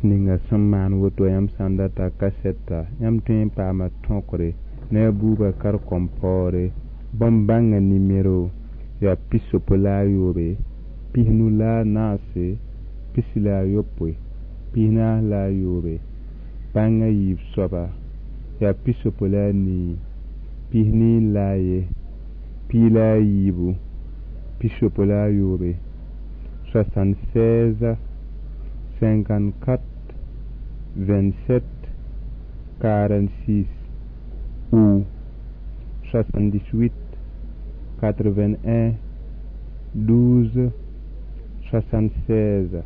Ninga sẽn maan woto yãmb sã n data kasɛta yãmb tõe n paama tõkre ne a Bubakar Kɔmpɔɔre bõn-bãngã nimero yaa 63 94 68 47 bãngã yiib soaba yaa 65 41 24 68 76 54 27 46 ou 78 81 12 76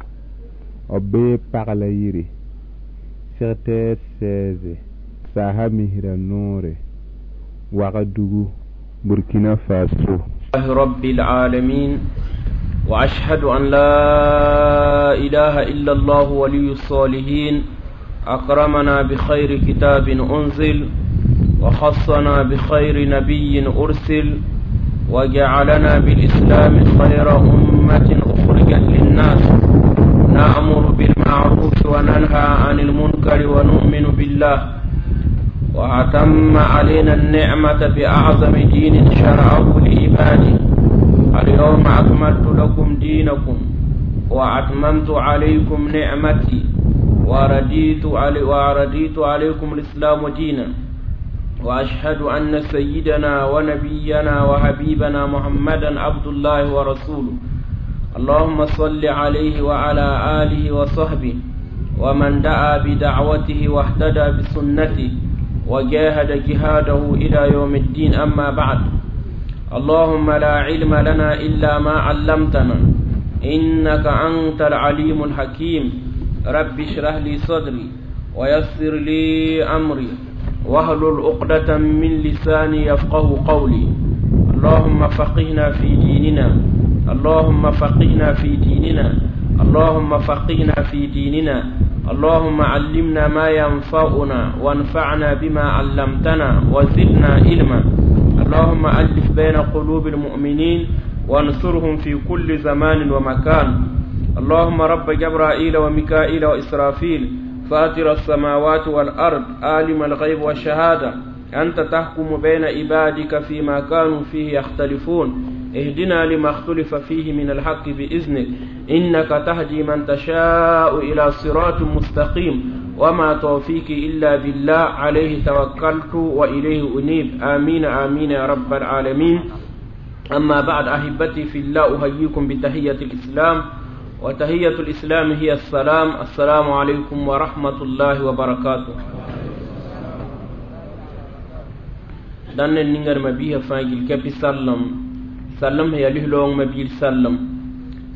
b bee pagla yiri secteur 16 saasa misra noore Wagadugu Burkina Faso. رب العالمين وأشهد أن لا إله إلا الله ولي الصالحين أكرمنا بخير كتاب أنزل وخصنا بخير نبي أرسل وجعلنا بالإسلام خير أمة أخرجت للناس نأمر بالمعروف وننهى عن المنكر ونؤمن بالله وأتم علينا النعمة بأعظم دين شرعه لعباده اليوم أكملت لكم دينكم وأتممت عليكم نعمتي ورديت عليكم الإسلام دينا وأشهد أن سيدنا ونبينا وحبيبنا محمدا عبد الله ورسوله اللهم صل عليه وعلى آله وصحبه ومن دعا بدعوته واهتدى بسنته وجاهد جهاده إلى يوم الدين أما بعد اللهم لا علم لنا إلا ما علمتنا إنك أنت العليم الحكيم رب اشرح لي صدري ويسر لي أمري واحلل عقدة من لساني يفقه قولي اللهم فقهنا في ديننا اللهم فقهنا في ديننا اللهم فقهنا في ديننا اللهم علمنا ما ينفعنا وانفعنا بما علمتنا وزدنا علما اللهم ألف بين قلوب المؤمنين وانصرهم في كل زمان ومكان اللهم رب جبرائيل وميكائيل وإسرافيل فاطر السماوات والأرض عالم الغيب والشهادة أنت تحكم بين عبادك فيما كانوا فيه يختلفون اهدنا لما اختلف فيه من الحق بإذنك إنك تهدي من تشاء إلى صراط مستقيم وما توفيقي إلا بالله عليه توكلت وإليه أنيب آمين آمين يا رب العالمين أما بعد أحبتي في الله أحييكم بتحية الإسلام وتحية الإسلام هي السلام السلام عليكم ورحمة الله وبركاته dan ningar mabiha fãa gil kɛpɩ sallem sallem sẽn yaa lis-loong mabiir sallem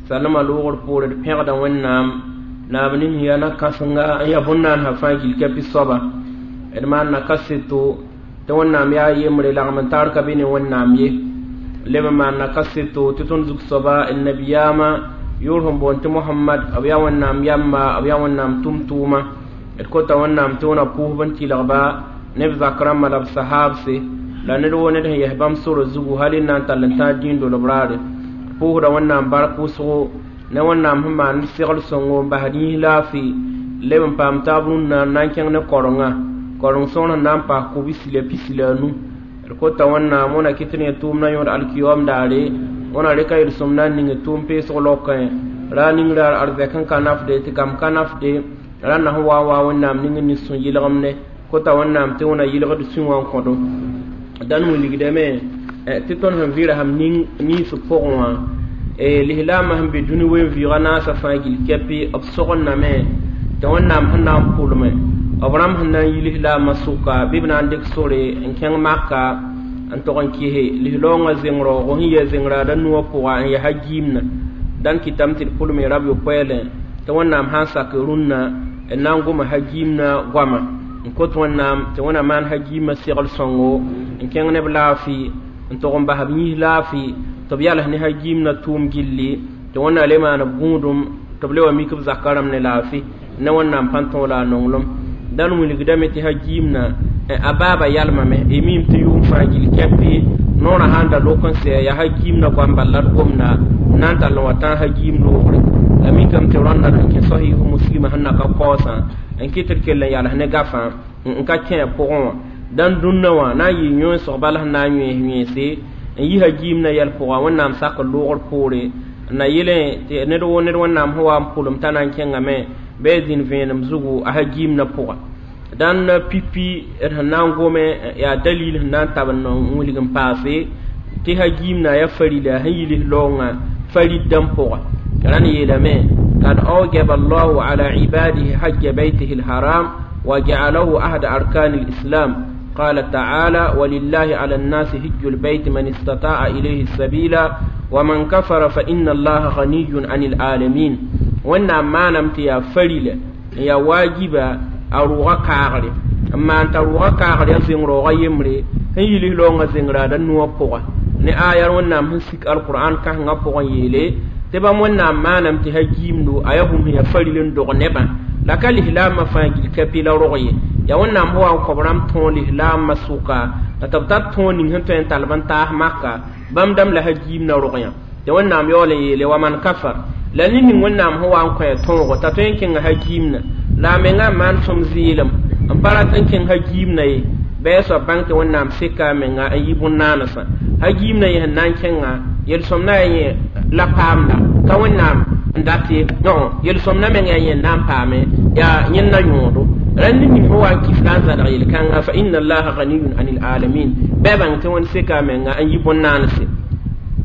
sallema loogr poore d pẽgda wẽnnaam naab ning yaa na-kãsenga n yaa bõn-naansã fãa gil kɛpɩ soaba d maan na kaseto tɩ wẽnnaam yaa yembre lagm n taar ka be ne wẽnnaam ye leb n maan na kaseto tɩ tõnd zug soaba d nabiyaamã yʋʋr sẽn boond tɩ Mohamad b yaa wẽnnaam yamba b yaa wẽnnaam tʋm-tʋʋma d kota wẽnnaam tɩ wẽna pʋʋsb n tɩlgba ne b zak rãmbã la b sahaabse la ned woo ned sẽn yes bãmb sora zugu hal n na n tall n tãag dĩin dolb raare pʋʋsda wẽnnaam bark wʋsgo ne wẽnnaam sẽn maan segl sõngo n basd yĩs laafɩ leb n paam taab rũnnã n na n kẽng ne korenga koreng sõor sẽn na n paas kobsi la pisi la a nu d kota wẽnnaam wẽna kɩt ne tʋʋmdã yõod alkiyoom daare wẽna rɩka yel-sõm na n ning tʋʋm peesg laokẽ ra ning raar arzɛk n ka nafde tɩ kam ka nafde rãnda sẽn wa n wa wẽnnaam ning n nin sũ-yɩlgemde kota wẽnnaam tɩ wẽna yɩlgd sũ wã n kõdo dãn wilgdame tɩ tõnd sẽn vɩɩra sãm ninsb pʋgẽ wã lislaamã sẽn be dũni wen-vɩɩgã naasã fãa gil kɛpɩ b sogendame tɩ wẽnnaam sẽn na n pʋlme b rãmb sẽn na n yi lislaamã sʋka bɩ b na n dɩk sore n kẽng maka n tog n kɩse lislaoongã zeng-raoogo sẽn yɩ zeng-raada nuwã pʋga n yaa hagiimna dãn kɩtame tɩ d pʋlme rab yopoɛɛlẽ tɩ wẽnnaam sã n sak rũnnã n na n goma hagiimna goama n kot wẽnnaam tɩ wẽna maan hagiimã segl sõngo n kẽng ne b laafɩ n tog n bas b yĩs laafɩ tɩ b yals ne hagiimna tʋʋm gilli tɩ wẽnna le maan b gũudum tɩ b le wa mik b zaka rãmb ne laafɩ ne wẽnnaam pãn tõog la a nonglem dãn wilgdame tɩ hagiimna a baaba yalmame y miime tɩ yʋʋm fãa gil kɛpɩ Noorã sãn da lok n sɛ yaa hagiim na goam bal la d gomda n na n tall n wa tãag hagiim loogre la mikame tɩ rãnda n kẽ sahih muslima sẽn na ka kaoosã n kɩt tɩ d kell n yals ne gafã n ka kẽ a pʋgẽ wã dãn dũnna wã na n yɩ yõesg bal sẽn na n yões yõese n yi hagiim na yɛl pʋga wẽnnaam sakr loogr poore n na yelẽ tɩ ned woo ned wẽnnaam sẽn wa n pʋlem t'a na n kẽngame bɩ a zĩnd vẽenem zugu a hagiim na pʋga dãn pipi d sẽn na n gome yaa dalil sẽn na n tab n wilg n paase tɩ hagiim na yaa farila sẽn yi lis-laoongã farid dãmb pʋga rãnd yeelame kad awjaba allahu ala ibadihi hajja baytihi lharam wa ja'alahu ahada arkani lislam قال تعالى ولله على الناس هج البيت من استطاع إليه السبيل ومن كفر فإن الله غني عن العالمين وانا ما نمت يا فريلة يا واجبة a rʋʋga kaagre n maan t'a rʋʋga kaagre yaa zẽng raooga yembre sẽn yi lis-laoongã zẽngraada nuwã pʋga ne aya wẽnnaam sẽn sik alqur'an kãsengã pʋgẽ yeele tɩ bãmb wẽnnaam maaname tɩ hagiimdo a yaa bũmb sẽn yaa faril n dog nebã la ka lislaambã fãa gil kapi la rog ye yaa wẽnnaam sẽn wa n kõ b rãmb tõog lislaambã sʋka la tɩ b tar tõog ning sẽn tõe n tall b n taas maka bãmb dãmb la hagiim na rog yã tɩ wẽnnaam yaool n yeele wa man kafar la ned ning wẽnnaam sẽn wa n kõ a tõogo t'a tõe n kẽnga hagiimna la a menga n maan sõm zɩɩlem n pa rat n kẽng hagiimna ye bɩ a soab bãng tɩ wẽnnaam seka a menga n yi bõn-naanesã hagiimna yẽ sẽn na n kẽnga yel-sõmda yaa yẽ la paamda ka wẽnnaam n dat ye yel-sõmda meng yaa yẽ n na n paame yaa yẽnda yõodo rãnd ning sẽn wa n kif la n zãlg yel-kãnga fa inna allaha ganiyun anil alamin bɩ a bãng tɩ wẽnd seka a menga n yi bõn-naanese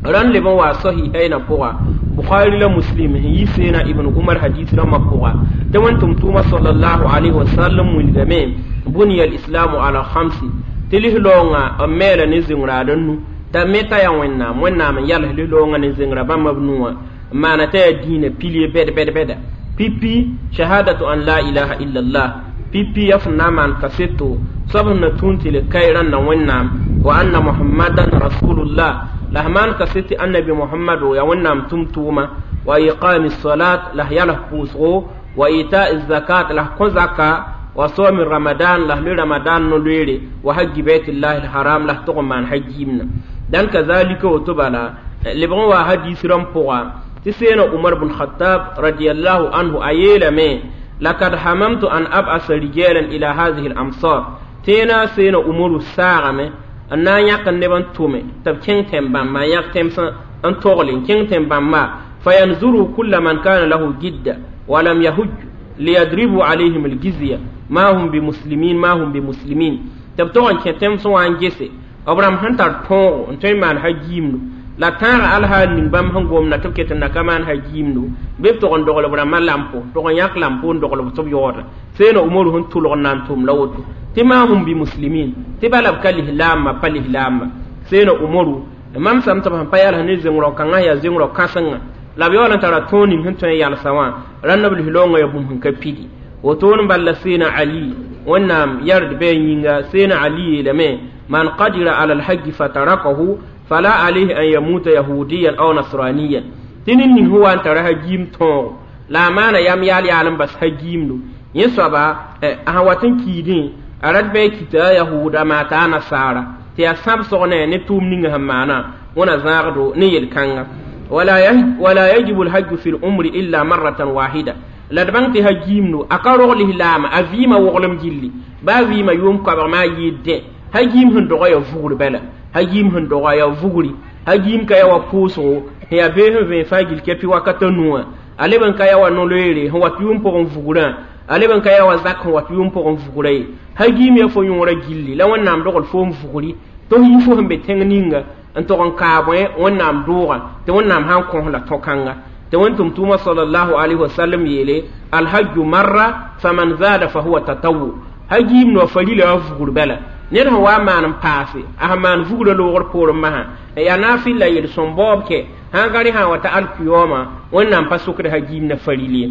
rãnd leb n waa sahihaynã pʋga bukhari la muslim sẽn yi seena ibn umar hadis rãmbã pʋga tɩ wẽnd tʋm-tʋʋmã sallallahu alayhi wa sallam wilgame buniya alislamu ala khamsi tɩ lis-laoongã b meela ne zĩngraad n nu t'a me t'a yaa wẽnnaam wẽnnaam n yals lis-laoongã ne zĩngra bãmba b nuwã n maana t'a yaa diinã pilie bɛd bɛd bɛda pipi shahadatu an la ilaha illallah pipi ya sẽn na n maan kaseto soab sẽn na tũun tɩ le kae rãnda wẽnnaam wa anna muhammadan rasulullah la f maan kaset tɩ annabi mohamado yaa wẽnnaam tʋm-tʋʋma wa iqami salat la f yals pʋʋsgo wa itai zakat la f kõ zaka wa sawmi ramadan la f loe ramadan no-loeere wa haji baitillahi lharam la f tog n maan hagiimna dãn kazalika woto bala lebg n wa hadis rãmb pʋga tɩ seena umar bn khatab radiallahu anhu a yeelame lakad hamamtu an ab'asa rijalan ila hadhihi al-amsar tẽena seena umaru saagame n na n yãk neb n tʋme tɩ b kẽng tẽn-bãmba n yãk tẽms n togle n kẽng tẽn-bãmba fayanzuru kulla man kana lahu gidda walam yahuj liyadribu alayhim algizya ma hum bimuslimin ma hum bimuslimin tɩ b tog n kẽ tẽms wã n gese b rãmb sẽn tar tõogo n tõe n maan hagiimdo la tãaga alhaal ning bãmb sẽn gomda tɩ b ket n na ka maan hagiimdo bɩ b tog n dogl b rãmbã lampo tog n yãk lampo n dogl b tɩ b yaooda seena umaru sẽn tʋlg n na n tʋm la woto tɩ ma hum bimuslimin tɩ bala b ka lislaambã pa lislaamba seena umaru mam sãm tɩ b sẽn pa yals ne zẽng-rao-kãngã yaa zẽng-rao kãsenga la b yaool n tara tõog ning sẽn tõe n yalsa wã rãnd b lislaoongã yaa bũmb sẽn ka pidi woto n bala seena ali wẽnnaam yard bɩ a yĩnga seena ali yeelame man qadira ala alhaji fatarakahu fala alayhi an yamuta yahudiyan aw nasraniyan tɩ ned ning sẽn wa n tara hagiim tõogo la a maana yam yaal yaal n bas hagiimdo yẽ soaba a sẽn wat n kiidẽ a rat bɩ a kita a yahuuda maa t'a a nasaara tɩ yaa sãbsg ne ne tʋʋm ninga sẽn maana wẽna zãagdo ne yel-kãnga wala yajibu alhajju fi lumri illa marratan wahida la d bãng tɩ hagiimdo a ka rog lislaama a vɩɩmã woglem gilli baa vɩɩmã yʋʋm koabg maa yɩɩd dẽ hagiim sẽn doga yaa vugr bala hagiim sẽn doga yaa vugri hagiim ka yaa wa pʋʋsgo sẽn yaa bee sẽn vẽe fãa gil kɛpɩ wakata nuwã a leb n ka yaa wa no-loeere sẽn wat yʋʋm pʋgẽ vugrã a leb n ka yaa wa zak sẽn wat yʋʋm pʋgẽ vugrã ye hagiim yaa fo yõorã gilli la wẽnnaam dogl foom vugri tɩ f yi fo sẽn be tẽng ninga n tog n kaabẽ wẽnnaam doogã tɩ wẽnnaam sã n kõs la tõ-kãnga tɩ wẽn tʋm-tʋʋmã salallahu alayhi wasallam yeele alhajju marra faman zada fahuwa tatawu hagiim noa farila wa vugr bala ned sẽn wa n maan n paase a sẽn maan vugrã loogr poorẽ masã yaa naafɩl la yel-sõm baoob kɛ sãn ka rẽ sã n wa ta alkiyõoma wẽnnaam pa sokd hagiim na faril ye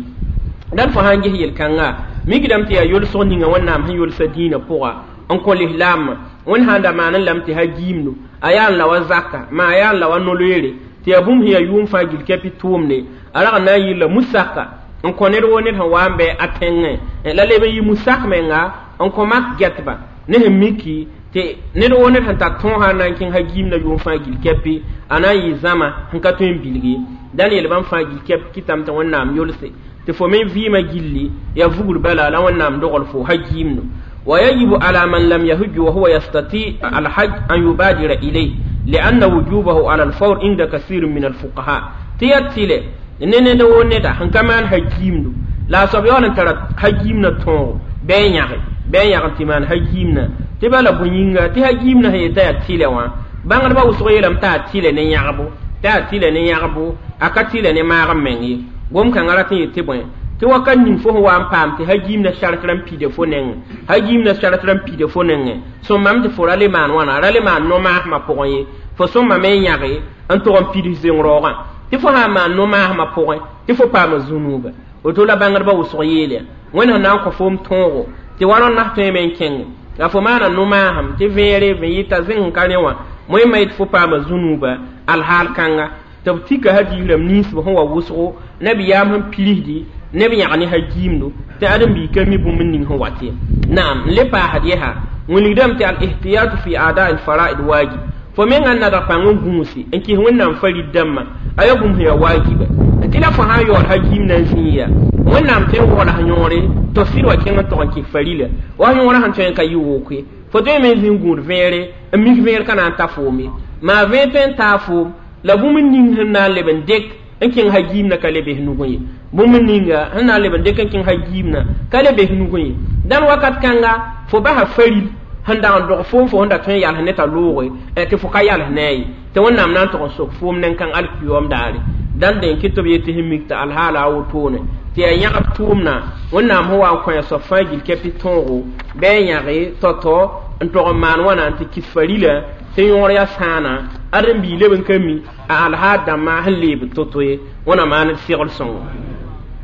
dãn fo sã n ges yel-kãnga mikdame tɩ yaa yolsg ninga wẽnnaam sẽn yolsa dĩinã pʋga n kõ lislaambã wẽnd sãn da maan n lame tɩ hagiimdo a yaa n la wa zaka maa a yaa n la wa no-loeere tɩ yaa bũmb sẽn yaa yʋʋm fãa gil kɛpɩ tʋʋmde a rag n na n yɩlla musaka n kõ ned woo ned sẽn wa n bɩ a tẽngẽ la leb n yɩ musak menga n kõ mak gɛtba ne sẽn miki Tɩ ned woo ned sẽn tar tõog sã n na n kẽng hagiimdã yʋʋm fãa gill kɛpɩ a na n yɩ zãma sẽn ka tõe n bilg ye dãn yeel bãmb fãa gill kɛp kɩtame tɩ Wẽnnaam yolse tɩ fo me vɩɩmã gilli yaa vugr bala la Wẽnnaam dogl fo hagiimdo. ويجب على من لم يهج وهو يستطيع الحج أن يبادر إليه لأن وجوبه على الفور عند كثير من الفقهاء. تياتيله نene da wo neda sẽn ka maan hagiimdo la a soab yaool n tara hagiimdã tõogo bɩ n yãge bɩ n yãg n tɩ maan hagiimdã tɩ bala bõe yĩnga tɩ hagiimdã sẽn yetã yaa tɩlɛ wã bãngdbã wʋsg yeelame t'a tɩlɛ ne yãgbo t'a tɩlɛ ne yãgbo a ka tɩlɛ ne maag n meng ye gom-kãngã rat n yet tɩ bõe tɩ wakat ning fo sẽn wa n paam tɩ hagiimdã sark rãmb pida fo nengẽ hagiimdã sark rãmb pida fo nengẽ sõmbame tɩ fo ra le maan wãna ra le maan no-maasmã pʋgẽ ye fo sõmbame n yãge n tʋg n pids zeng-raoogã tɩ fo sã n maan no-maasmã pʋgẽ tɩ fo paama zũnuuba woto la bãngdbã wʋsg yeelya Wẽnd sẽn na n kõ foom tõogo tɩ wa rõnd nas tõeme n kẽnge la fo maana no-maasem tɩ vẽere vẽ yɩta zẽng n ka rẽ wã moẽmã yetɩ fo paama zũnuuba alhaal kãnga tɩ b tika hadiis rãmb ninsb sẽn wa wʋsgo nabiyaam sẽn pirsdi neb yãg ne hagiimdo tɩ ãdem-biig ka mi bũmb ning sẽn wat ye. Naam n le paasd yɛsa wilgdame tɩ al-ihtiyatu fi ada al-fara'id wajib fo mengã n nadg pãng n gũusi n kɩs Wẽnnaam farid dãmbã a yaa bũmb sẽn yaa waajiba tɩ la fo sã n yaool hagiimdã n zĩig yaa Wẽnnaam tõe n waool s yõore tɩ sɩd wa kẽng n tog n kɩs farila wa yõorã sẽn tõe n ka yɩ wokoe fo tõe me n zĩ n gũud vẽere n mik vẽer ka na n ta foom ye maa vẽer tõe n taa foom la bũmb ning sẽn na n leb n dek n kẽng hagiimdã ka le bes nugẽ ye bũmb ninga sẽn na n leb n dek n kẽng hagiimdã ka le bes nugẽ ye dãn wakat kãnga fo basa faril sẽn dag n dog foom fo sẽn da tõe n yals ne t'a looge tɩ fo ka yals ne a ye tɩ Wẽnnaam na n tʋg n sok foom nen-kãng alkiyoom daare dãn dẽn kɩ tɩ b yetɩ sẽn mik tɩ alhaala a wotone tɩ yaa yãgb tʋʋmdã Wẽnnaam sẽn wa n kõ a soab fãa gill kɛpɩ tõogo bɩ a yãge tao-tao n tog n maan wãna n tɩ kɩs farila tɩ yõor yaa sãana ãdem-biig leb n ka mi a alhaal dãmbã sẽn leebd to-to ye wẽna maan d segl sõngo.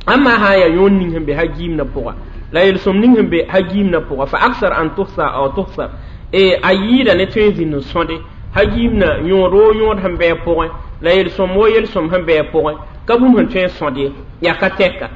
Ãmba sã n yaa yõor ning sẽn be hagiimdã pʋga la yel-sõm ning sẽn be hagiimdã pʋga fa aksar an tuhsa aw tuhsar a yɩɩda ne tõe n zĩnd n sõde hagiimdã yõod woo yõod sẽn bɩ a pʋgẽ la yel-sõm woo yel-sõm sẽn bɩ a pʋgẽ ka bũmb sẽn tõe n sõd ye yaa ka tɛka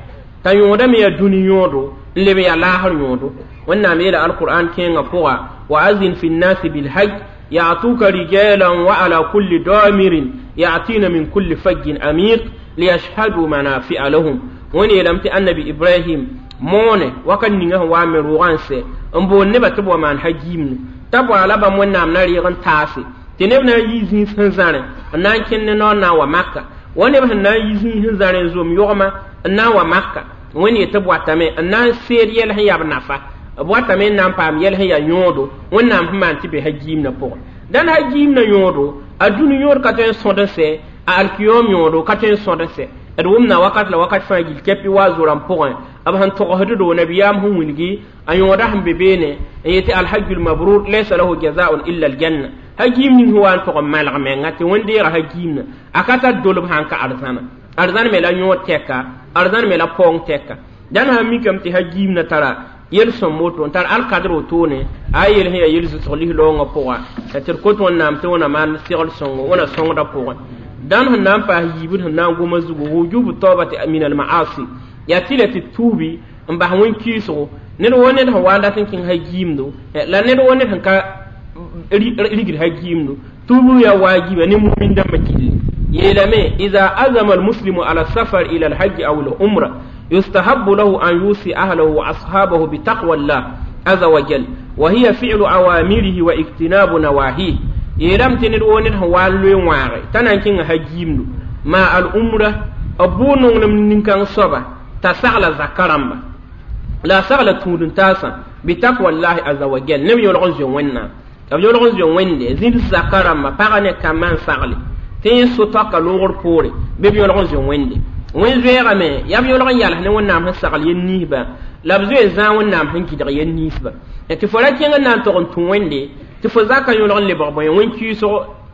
t'a yõodame yaa dũni yõodo n leb n yaa laasr yõodo. Wẽnnaam yeela alqur'an kẽengã pʋga wa azin fi nnasi bilhaj ya'tuka rijalan wa ala kulli damirin ya'tina min kulli fajjin amiq liyashhadu manafi'a lahum. Wẽnd yeelame tɩ annabi Ibrahim moone wakat ninga sẽn wa n me rʋʋgã n sɛ n boond nebã tɩ b wa maan hagiimdu t'a bɔa la bãmb Wẽnnaam na reeg n taase tɩ neb na n yi zĩis sẽn zãrẽ n na n kẽnd ne noor na n wa Maka wa neb sẽn na n yi zĩis sẽn zãrẽ n zom yogmã n na n wa Maka Wẽnd yetɩ b watame n na n seed yɛl sẽn yaa b nafa b watame n na n paam yɛl sẽn yaa yõodo Wẽnnaam sẽn maan tɩ be hagiimdã pʋgẽ. Dãn hagiimdã yõodo a dũni yõod ka tõe n sõd n sɛ a alkiyoom yõodo ka tõe n sõd n sɛ d wʋmna wakat la wakat fãa gill kɛpɩ wa zo-rãmb pʋgẽ b sẽn togsd do nabiyaam sẽn wilgi a yõoda sẽn be beene n yetɩ alhajjul mabrur laysa lahu jazaun illa aljanna hagiim ning sẽn wa n tog n malg menga tɩ wẽn-deega hagiimdã a ka tar dolb sã n ka arzãna arzãn me la yõod tɛka arzãn me la paoong tɛka dãn sã n mikame tɩ hagiimdã tara yel-sõm woto n tar alkadr wotone a yel sẽn yaa yel-zʋsg lis-loongã pʋga tɩ d kot Wẽnnaam tɩ wẽna maan segl sõngo wẽna sõngdã pʋgẽ dãn sẽn na n paas yiibd sẽn na n goma zugu wujubu taubati min almaasi yaa tɩ la tɩ tuubi n bas wẽn-kɩɩsgo ned woo ned sẽn wa n dat n kẽng hagiimdo la ned woo ned sẽn ka rigd hagiimdo tuubu yaa waajiba ne mumin dãmbã gilli yeelame ida azama almuslimu ala safar ila alhaji aw alumra yustahabu lahu an yusi ahlahu wa ashabahu bitaqwa llah aza wajal wa hiya fi'lu awamirihi wa ijtinabu nawahihi yeelame tɩ ned woo ned sẽn wa n loe wãage t'a na n kẽnga hagiimdo maa al-umra b bʋʋ nonglem nin-kãng soaba t'a sagla zaka rãmba la a sagla tũud-n-taasã bitaqwa llahi aza wajal neb yõlg n zoe Wẽnnaam b yõlg n zoe Wẽnde zĩnd zaka rãmba pagã ne kambã n sagle tɩ yẽ so-toaka loogr poore bɩ b yõlg n zoe Wẽnde wẽn-zoeegame yaa b yõlg n yals ne Wẽnnaam sẽn sagl yel-niisbã la b zoe zãag Wẽnnaam sẽn gɩdg yel-niisbã tɩ fo ra kẽng n na n tog n tũ Wẽnde tɩ fo zaka yõlg n lebg bõe wẽn-kɩɩsg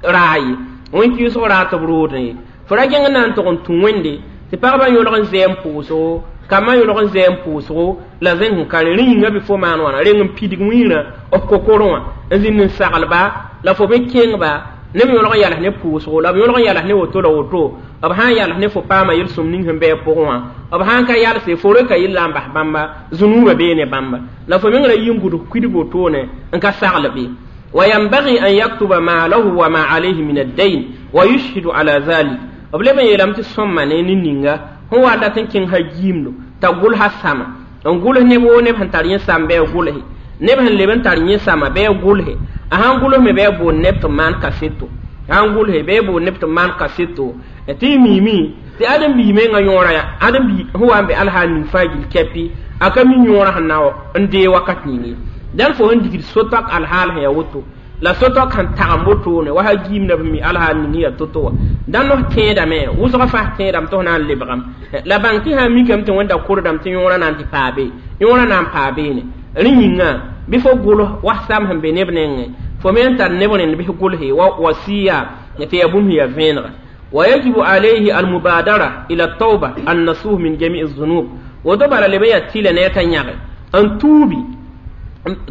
raa ye wẽn-kɩɩsg raa tɩ b roodẽ ye fo ra kẽng n na n tog n tũ Wẽnde tɩ pagba yõlg n zɛɛ n pʋʋsgo kambã yõlg n zɛɛ n pʋʋsgo la zẽng sẽn ka rẽ rẽ yĩnga bɩ fo maan wãna reng n pidg wĩirã b kokorẽ wã n zĩnd n saglba la fo me kẽngba neb yõlg n yals ne pʋʋsgo la b yõlg n yals ne woto la woto b sã n yals ne fo paama yel-sõm ning sẽn bɩ a pʋgẽ wã b sã n ka yalse fo reka yella n bas bãmba zũnuubã bee ne bãmba la fo meng ra yi n gʋds kudg wotone n ka sagl be وينبغي أن يكتب ما له وما عليه من الدين ويشهد على ذلك b leb n yeelame tɩ sõma ne nin-ninga sẽn wa dat n kẽng ha-giimdo t'a gʋlsa sama n gʋls neb woo neb sẽn tar yẽ sam bɩ a gʋlse neb sẽn leb n tar yẽ sama bɩ a gʋlse a sãn gʋls me bɩ a boond neb tɩ maan kaseto sãn gʋlse bɩ a boond neb tɩ maan kaseto tɩ y miime tɩ ãdem-biig mengã yõora yaa ãdem-biig sẽn wa n be alhaal ning fãa gill kɛpɩ a ka mi yõorã sẽn na n dee wakat ning ye dãn fo sẽn digd so-toak alhaal sẽn yaa woto la so-toak sẽn tagem wotone wa ha-giimda b mi alhaal ning yaa to-to wã dãn f tẽedame wʋsg fãa tẽedame tɩ f na n lebgame la bãng tɩ sã n mikame tɩ wẽnda kordame tɩ yõorã na n tɩ paa be yõorã na n paa beene rẽ yĩnga bɩ fo gʋls wa sam sẽn be neb nengẽ fo me n tar neb rẽnd bɩ gʋlse wa wasiya tɩ yaa bũmb sẽn yaa vẽenega ويجب عليه المبادرة إلى التوبة النصوح من جميع الذنوب woto bala leb n yaa tɩlɛ ne a t'a yãge n tuubi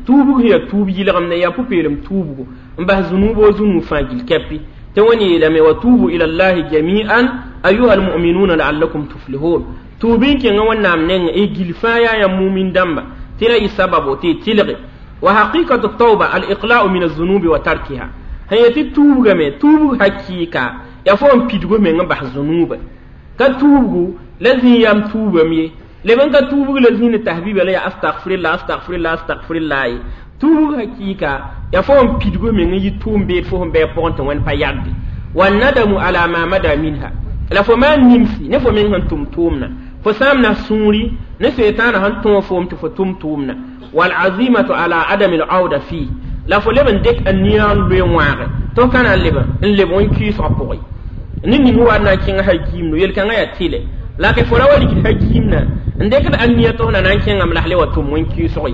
tuubg sẽn yaa tuub yɩlgemde yaa pʋ-peelem tuubgo n bas zũnuub o zũnuub fãa gill kɛpɩ tɩ wẽnd yeelame wa tuubu ila llahi jami'an ayuha almu'minuna la'allakum tuflihun tuub n kẽngã wẽnnaam nengẽ y gill fãa yaa yãmb mumin dãmba tɩ ra yɩ sababo tɩ y tɩlge wa haqiqatu tauba al-iqla'u min az-zunubi wa tarkiha sẽn yetɩ tuubgame tuubg hakɩɩka yaa fo n pidg meng n bas zũnuuba ka tuubgu la zĩ yam tuubame ye leb n ka tuubg la zĩnd tahbiba la yaa astagfirilla astagfirilla astagfirilla ye tuubg hakɩɩka yaa fo n pidg meng n yɩ tʋʋm beed fo sẽn bɩ a pʋgẽ tɩ wẽnd pa yagde wannadamu ala ma mada minha la fo maan nimsi ne fo meng sẽn tʋm tʋʋmna fo sãamna sũuri ne setaana sẽn tõog foom tɩ fo tʋm tʋʋmna walazimatu ala adami lauda fi la fo leb n dɩk n nia n loe wãage tɩ f ka na n leb n leb wẽn-kɩɩsgã pʋgẽ ned ning wa na n kẽng ha-giimdo yel-kãngã yaa tɩlɛ la ke fo ra wa rigd ha-giimna n dɩkd a nia tɩ f na na n kẽngame la f le wa tʋm wẽn-kɩɩsg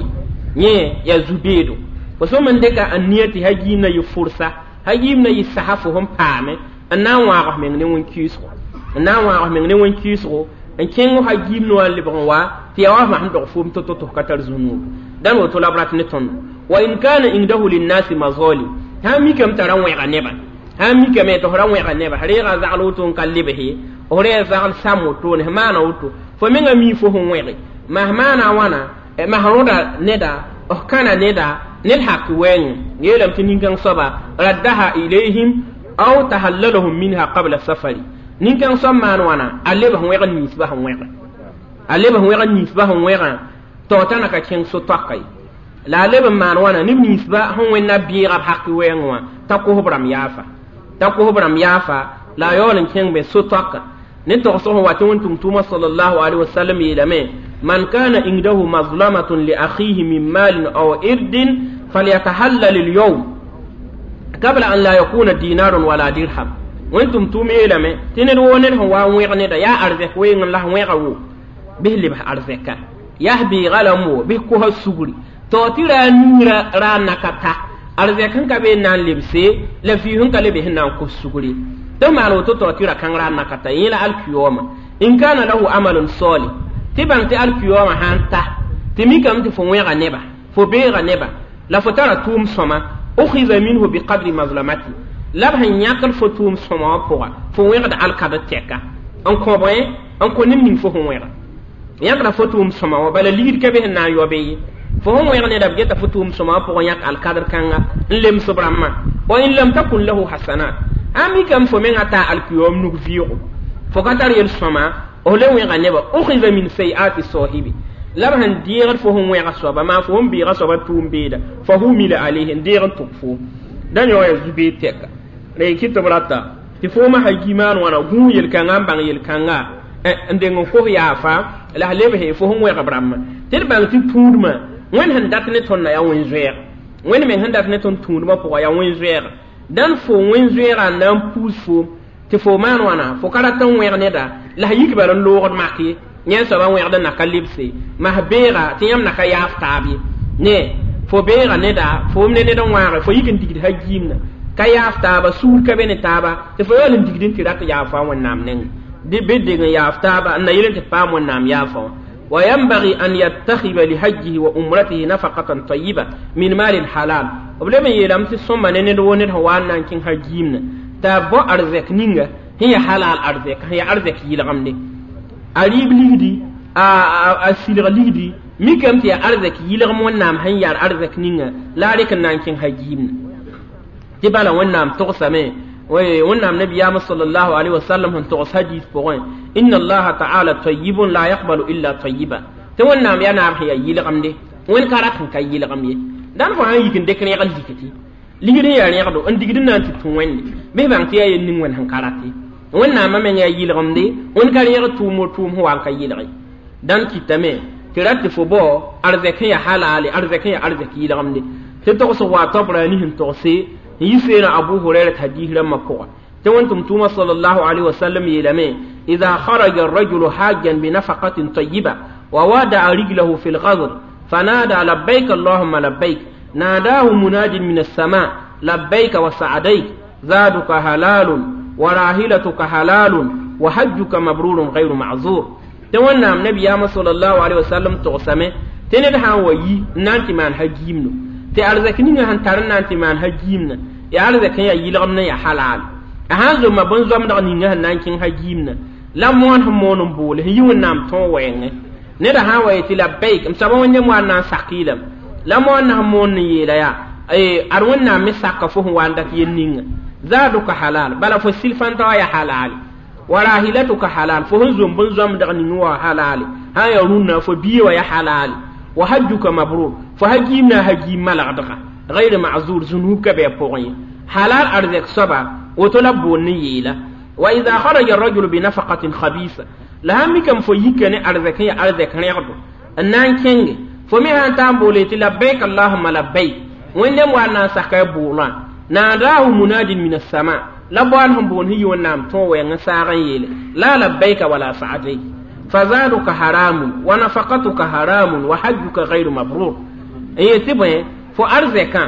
ye yẽ yaa zu-beedo fo sõm n dɩka n nia tɩ ha-giimna yɩ fʋrsa ha-giimna yɩ sasa fo sẽn paame n na n wãag f meng ne wẽn-kɩɩsgo n na n wãag f meng ne wẽn-kɩɩsgo n kẽng ha-giimd wã n lebg n wa tɩ yaa wa f sẽn dog foom to-to tɩ f ka tar zũnuub dãn woto la b rat ne tõndo wa in kana indahu linnasi mazalim sã n mikame t'a ra wẽga nebã sã n mikame tɩ f ra wẽga neba reega zagl woto n ka lebse f re zagl sam wotone f maana woto fo menga mi fo sẽn wẽge mas maana wãna mas rõda neda f kãna neda ned hak wɛɛngẽ yeelame tɩ nin-kãng soaba raddaha ilayhim aw tahallalahum minha qabla safari nin-kãng soab maan wãna a leb sẽn wẽg ninsbã sẽn wẽge a leb sẽn wẽg ninsbã sẽn wẽgã tɩ t'a na ka kẽng so-toaka ye la a leb n maan wãna neb ninsbã sẽn wẽnna bɩɩga b hak wɛɛngẽ wã t'a kos b rãmb yaafa t'a kos b rãmb yaafa la a yaool n kẽng be so-toaka ne togsg sẽn wa tɩ wẽn-tʋm-tʋʋmã sallallahu alaihi wasallam yeelame man kana indahu mazlamatun li akhihi min malin aw irdin falyatahallal alyawm qabla an la yakuna dinarun wala dirham wẽn-tʋm-tʋʋm yeelame tɩ ned woo ned sẽn wa n wẽg neda yaa arzɛk weengẽ la s wẽga wo bɩs lebs arzɛka yaa s beega lame wo bɩs kosa sugri tɩ tɩ ra a niirã ra n na ka ta arzɛk sẽn ka be n na n lebse la fii sẽn ka lebe sẽn na n kos sugri tɩ maan woto tɩ tɩ ra kãng ra n na ka ta yẽ la alkiyooma in kana lahu amalun salih tɩ bãng tɩ alkiyooma sã n ta tɩ mikame tɩ fo wẽga neba fo beega neba la fo tara tʋʋm sõma ukhiza minhu biqadri mazlamati la b sẽn yãkd fo tʋʋm sõma wã pʋga fo wẽgd alkad tɛka n kõ bõe n kõ neb ning fo sẽn wẽga yãkda fo tʋʋm sõma wã bala ligd ka be sẽn na n yaobe ye fo sẽn wẽg neda b geta fo tʋʋm sõma wã pʋgẽ yãk alkadr kãnga n lems b rãmbã wa in lam takun lahu hasanat a mikame fo mengã taa alkiyoom nug vɩɩgo fo ka tar yel-sõma f le wẽga neba ukhiza min sayiati sahibi la b sẽn deegd fo sẽn wẽga soaba maa fo sẽn beega soaba tʋʋm beeda fa humila alayhi n deeg n tʋg foom dã yõ yaa zu-beed tɛka la y kɩ tɩ b rata tɩ foomã ha-gi maan wãna gũus yel-kãngã n bãng yel-kãnga n deng n kos yaafa la s lebse fo sẽn wẽg b rãmbã tɩ d bãng tɩ tũudmã wẽnd sẽn dat ne tõndã yaa wẽn-zoɛɛg wẽnd meng sẽn dat ne tõnd tũudmã pʋgã yaa wẽn-zoɛɛga dãn fo wẽn-zoɛɛga n na n puus foom tɩ fo maan wãna fo ka rat n wẽg neda la s yik bala n loogd mak ye yẽ soaba wẽgd n na ka lebse mas beega tɩ yãmb na ka yaaf taab ye ne fo beega neda foom ne ned n wãage fo yik n digd ha-giimna ka yaaf taaba suur ka be ne taaba tɩ fo yaool n digd n tɩ rat yaafa wẽnnaam nengẽ bɩ deng n yaaf taaba n na yel n tɩ paam wẽnnaam yaafa wã وينبغي أن يتخذ لحجه وأمرته نفقة طيبة من مال حلال وبلما يلام تسمى نند ونند هو أن كين هجيمنا تابو أرزك نينغا هي حلال أرزك هي أرزك يلغمني أريب ليدي أسيلغ ليدي ميكم تي أرزك يلغم ونام هي أرزك نينغا لا ريك نان كين هجيمنا Tɩ bala Wẽnnaam togsame Wẽnnaam nabiyaamã sallallahu alaihi wasallam sẽn togs hadis pʋgẽ inna allaha ta'ala tayyibun la yaqbalu illa tayyiba tɩ Wẽnnaam yaa naab sẽn yaa yɩlgemde Wẽnd ka rat sẽn ka yɩlgem ye dãn fo sãn yik n dɩk rẽgd likti ligd n yaa rẽgdo n digd n na n tɩ tũ Wẽnde bɩ bãng tɩ yaa yel ning Wẽnd sẽn ka rat ye Wẽnnaamã meng yaa yɩlgemde Wẽnd ka rẽgd tʋʋm o tʋʋm sẽn wa n ka yɩlge dãn kɩtame tɩ rat tɩ fo bao arzɛk sẽn yaa halaale arzɛk sẽn yaa arzɛk yɩlgemde tɩ togsg wa Tabrani sẽn togse n yi seena Abu Hurayra hadis rãmbã pʋga tɩ Wẽn-tʋm tʋʋma sallallahu alaihi wasallam yeelame إذا خرج الرجل حاجا بنفقة طيبة ووادع رجله في الغزر فنادى لبيك اللهم لبيك ناداه مناد من السماء لبيك وسعديك زادك حلال وراحلتك حلال وحجك مبرور غير معذور tɩ Wẽnnaam nabiyaamã sallallahu alaihi wasallam togsame tɩ ned sã n wa yi n na n tɩ maan hagiimno tɩ arzɛk ninga sẽn tar n na n tɩ maan hagiimna yaa arzɛk sẽn yaa yɩlgemd n yaa halaal a sãn zomma bõn-zoamdg ninga sẽn na n kẽng hagiimna la moon sẽn moon n boole sẽn yi Wẽnnaam tõog wɛɛngẽ neda sã n wa yetɩ labbaik m soaba Wẽnnaam wa n na n sak yeelame la moon na sẽn moon n yeela yaa ad Wẽnnaam me saka fo sẽn wa n dat yel ninga zaaduka halal bala fo silfãntã wã yaa halaale wa rahilatuka halal fo sẽn zom bõn-zoamdg ning wã halaale sã n yaa rũnnã fo bia wã yaa halaale wa hajjuka mabrur fo hagiimna hagiim malgdga غير معذور zunub ka bɩ a pʋgẽ ye halal arzɛk soaba woto la b boond n yeela wa idha kharaja arrajulu binafaqatin khabisa la sãn mikame fo yika ne arzɛk sẽn yaa arzɛk rẽgdo n na n kẽnge fo me sãn taa n boole tɩ labbaik allahuma labbaik Wẽnnaam wa n na n saka a booglã naadahu munadin min assama la boan sẽn boond sẽn yi Wẽnnaam tõog wɛɛng n saag n yeele la labbaika wala sa'adayk fazaduka haramun wa nafaqatuka haramun wa hajjuka ghayru mabrur n yetɩ bõe fo arzɛkã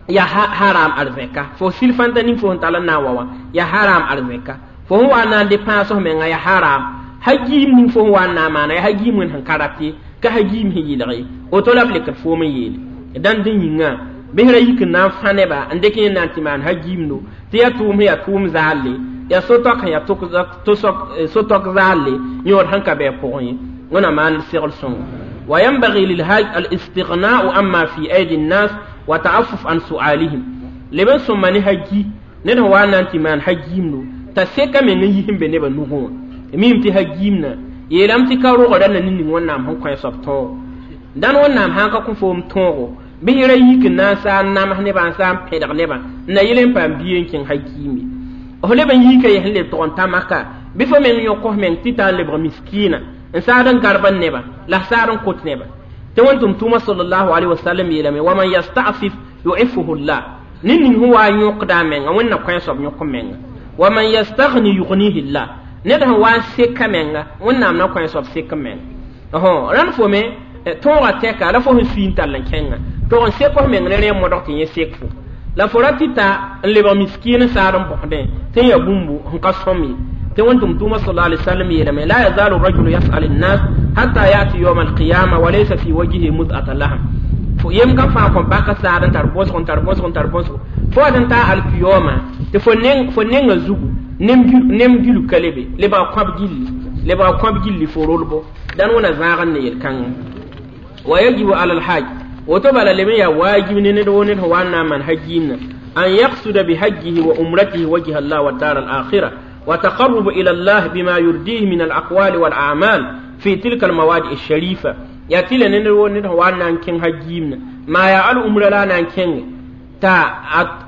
yaa haram arzɛka fo silfãntã ning fo sẽn tall n na n wa wã yaa haram arzɛka fo sẽn wa n na n depãs f menga yaa haram hagiim ning fo sẽn wa n na n maana yaa hagiim Wẽnd sẽn ka rat ye ka hagiim sẽn yɩlg ye woto la b lekd foom n yeele dãnd dẽ yĩngã bɩsra yik n na n fã nebã n dɩk yẽ na n tɩ maan hagiimdo tɩ yaa tʋʋm sẽn yaa tʋʋm zaalle yaa so-tɔk sẽn yaa so-tɔk zaalle yõod sẽn ka bɩ a pʋgẽ ye Wẽnnaam maan segl sõngo وينبغي للهاج الاستغناء عما في أيدي الناس وتعفف عن سؤالهم لبن ثم haji ned sẽn wa n na n tɩ maan hagiimdo t'a seka meng n yis n be nebã nugẽ wã mim tɩ hagiimna yeelame tɩ ka rogda na ning Wẽnnaam sẽn kõ soab tõogo dãn Wẽnnaam sãn ka kõ foom tõogo bɩ ra yik n na n saa n nams nebã n saa n pẽdg nebã n na yel n paam bia n kẽng hagiim ye f leb n yiika ye sẽn leb tʋg n ta maka bɩ fo meng yõk f meng tɩ taa n lebg miskiina n saad n garb n nebã la saad n kot nebã tɩ Wẽn-tʋm tʋʋmã sallallahu alaihi wasallam yeelame wa man yasta'fif yu'iffuhu llah ned ning sẽn wa n yõkda a menga Wẽnd na kõ a soab yõk menga wa man yastaghni yughnihi llah ned sẽn wa n seka menga Wẽnnaam na kõ a soab sek menga rãnd fo me tõogã tɛka la fo sẽn sui n tall n kẽnga tog n sek f meng ne rẽ modg tɩ yẽ sek fo la fo ra tɩ ta n lebg miskiin n saad n bõsdẽ tɩ n yaa bũmbu sẽn ka sõm ye tɩ Wẽn-tʋm tʋʋmã sallallahu alaihi wasallam yeelame la yazalu rajulu yas'al an-nas hatta ya'ti yawm al-qiyama wa laysa fi wajhihi mud'ata lahm fo yem ka fãa kõn baka saad n tar bõsg n tar bõsg n tar bõsg fo wat n taa alkiyoma tɩ fo nenga zugu nem gilu ka lebe lebga kõb gilli lebga kõb gilli fo rolbo dãn wẽna zãag n ne yel-kãngã wa yajibu ala alhaj woto bala leb n yaa waajib ne ned wo ned sẽn wa n na n maan hagiimna an yaqsuda bihajjihi wa umratihi wajha allah wa dar al-akhirah وتقرب إلى الله بما يرضيه من الأقوال والأعمال في تلك المواد الشريفة يا تيلا نندو ندو وانا كين هجيمنا ما يا الأمر لا نكين تا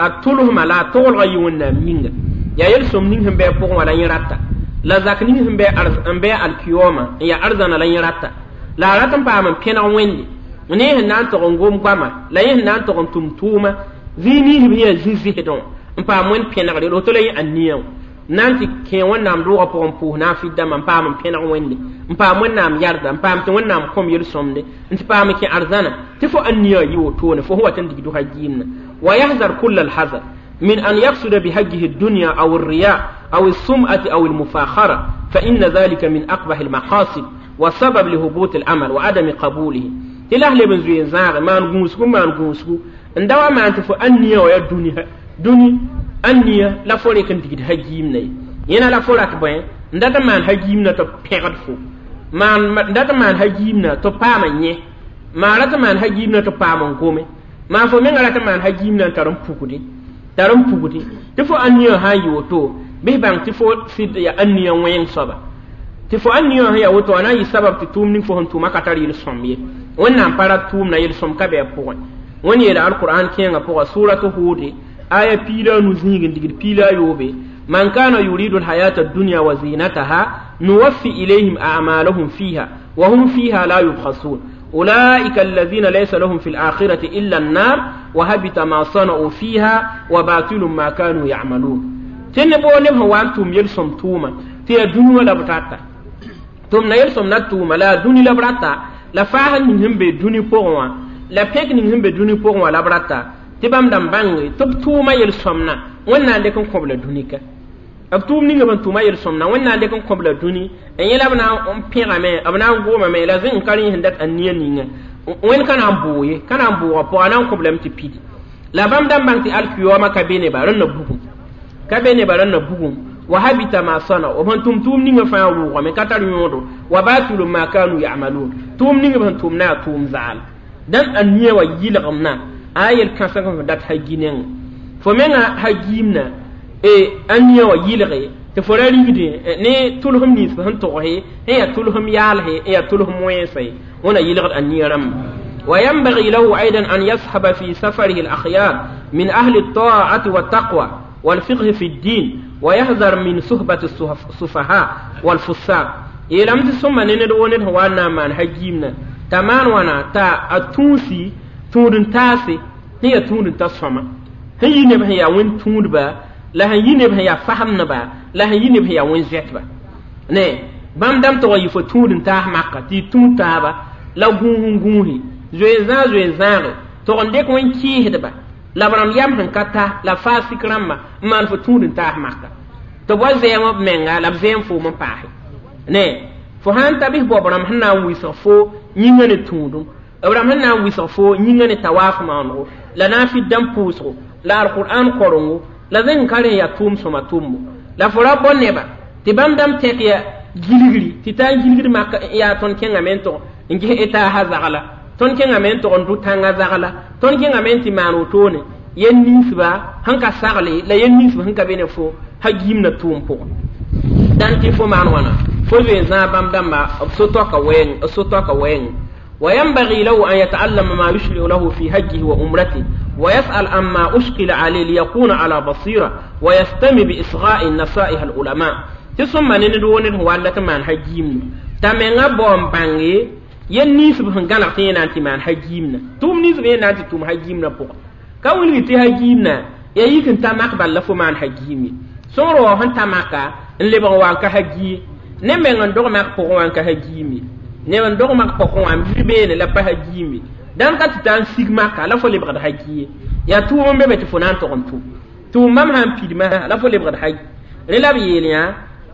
أتولهم لا تول غيونا مينغ يا يلسم نينهم بي بوغ ولا يراتا لا زاك نينهم بي أرز بي الكيوما يا أرزنا لا يراتا لا راتم بام بينا ويندي ne nan to ngom gwama la yin nan to tum tuma zini hiya zizi hedon mpa mon pena re to le anniya nan tɩ kẽ Wẽnnaam roogã pʋgẽ pʋʋs na n fɩ dãmbã n paam n pẽneg Wẽnde n paam Wẽnnaam yarda n paam tɩ Wẽnnaam kõm yel-sõmde n tɩ paam n kẽ arzãna tɩ fo ãnniya yɩ wotone fo sẽn wat n digd hagiimna wa yahzar kulla alhazar min an yaksuda bihajjihi الدنيا أو الرياء أو السمعة أو المفاخرة فإن ذلك من أقبح المقاصد وسبب لهبوط العمل وعدم قبوله tɩ la leb n zoe n zãage maan gũusgu maan gũusgu n da wa maan tɩ fo ãnniya wa yaa dũni ãnniya la fo rek n digd hagiimna ye yẽna la fo rat bõe n dat n maan hagiimna tɩ pẽgd fo n dat n maan hagiimna tɩ paam n yẽ maa rat n maan hagiimna tɩ paam n gome maa fo menga rat n maan hagiimna n tar n pukde Tar n pugdi tɩ fo ãniyã sã n yɩ woto bɩs bãng tɩ fo sɩd ya ãniyã wẽng soaba tɩ fo ãniyã sẽn ya woto a na n yɩ sabab tɩ tʋʋm ning fo sẽn tʋʋma ka tar yel-sõm ye wẽnnaam pa rat tʋʋmna yel-sõm ka bɩ a pʋgẽ wẽnd yeela alqur'an kẽengã pʋga suratu hude aya 15 zĩig n digd 13 man kana yuridu alhayata addunya wa zinataha nuwaffi ilayhim a'malahum fiha wa hum fiha la yubkhasun أولئك الذين ليس لهم في الآخرة إلا النار وهبط ما صنعوا فيها وباطل ما كانوا يعملون تن بو نب هو أنتم يلسم توما تي دنيا لا بتاتا تم يلسم نتوما لا دنيا لا برتا لا فاهم من هم بدنيا بوغوا لا بيك من هم بدنيا بوغوا لا برتا تبام دم بانغ تب توما يلسمنا ونا لكم قبل دنيا b tʋʋm ninga bẽn tʋma yel-sõmna wẽnnaam dɩk n kõb la dũni n yẽla b na n pẽgame b na n gomame la zẽ n ka rẽ sẽn dat a nia ninga wẽnd ka na n bʋʋg ye ka na n bʋʋga pʋga a na n kõb lame tɩ pidi la bãmb dãmb bãng tɩ alkiyooma ka be neba rẽnna bugum ka be neba rẽnna bugum wa habita ma sana b sẽn tʋm tʋʋm ninga fãa rʋʋgame ka tar yõodo wa batulu ma kanu yamalun tʋʋm ninga b sẽn tʋm na yaa tʋʋm zaal dãn a nia wa yɩlgemna a yel-kãseng sẽn dat ha-gi nengẽ fo menga ha-giimna ãniyã wa yɩlge tɩ fo ra rigdẽ ne tʋlsem nins sẽn togse n yaa tʋlsem yaalse n yaa tʋlsem wẽnse wẽna yɩlgd a nia rãmba وينبغي له أيضا أن يصحب في سفره الأخيار من أهل الطاعة والتقوى والفقه في الدين ويحذر من صحبة السفهاء والفساق يلم تسمى نند ونند وانا من هجيمنا تمان وانا تا أتونسي تودن تاسي هي تودن تسمى هي نبه يا وين تودبا la sẽn yi neb sẽn yaa fasemdba la sẽn yi neb sẽn yaa wẽn-zɛtba ne bãmb dãmb tʋg n yɩ fo tũud n taas maka tɩ y tũud taaba la gũus n gũusi zoe-zãag zoe-zãage tʋg n dɩk wẽn-kɩɩsdba la b rãmb yam sẽn ka ta la faa sik rãmba n maan fo tũud n taas maka tɩ b wa zɛɛm b menga la b zɛɛm foom n paase ne fo sãn ta bɩs bao b rãmb sẽn na n wɩsg fo yĩngã ne tũudum b rãmb sẽn na n wɩsg fo yĩngã ne tawaaf maanego la na n fɩ dãmb pʋʋsgo la alqur'an korengo la zẽng ka rẽ yaa tʋʋm sõma tʋmbo la fo ra bao neba tɩ bãmb dãmb tẽk ya gilgri tɩ taa n gilgd mak yaa tõnd kẽngame n tog n ges etaasã zagla tõnd kẽngame n tog n dʋ tãngã zagla tõnd kẽngame n tɩ maan wotone yel ninsba sẽn ka sagle la yel ninsb sẽn ka be ne fo ha giimna tʋʋm pʋgẽ dãn tɩ fo maan wãna fo zoe zãag bãmb dãmba b so-toaka wɛɛng b so-toaka wɛɛng وينبغي له أن يتعلم ما يشرع له في حجه وعمرته ويسأل عما أشكل عليه ليكون على بصيرة ويستمع بإصغاء النصائح العلماء تسمى ندون هو من حجيم تمنغا بوم بانغي yen ninsb sẽn gãneg tɩ yẽ na n tɩ maan ha-giimna tʋʋm ninsb yẽ na n tɩ tʋm ha-giimna pʋgã ka wilg tɩ ha-giimna yaa yik n ta mak bal la fo maan ha-giim ye sõngr wa sẽn ta maka n lebg n wa n ka ha-gi ne meng n dog mak pʋgẽ wã n ka ha-giim ye ne n dog mak pʋgẽ wã n bir beene la pa ha-giim ye dãn ka tɩ taa n sig maka la fo lebgd ha-gi ye yaa tʋʋm n be be tɩ fo na n tog n tʋm tʋʋm bãmb sã n pidma la fo lebgd ha-gi rẽ la b yeel yã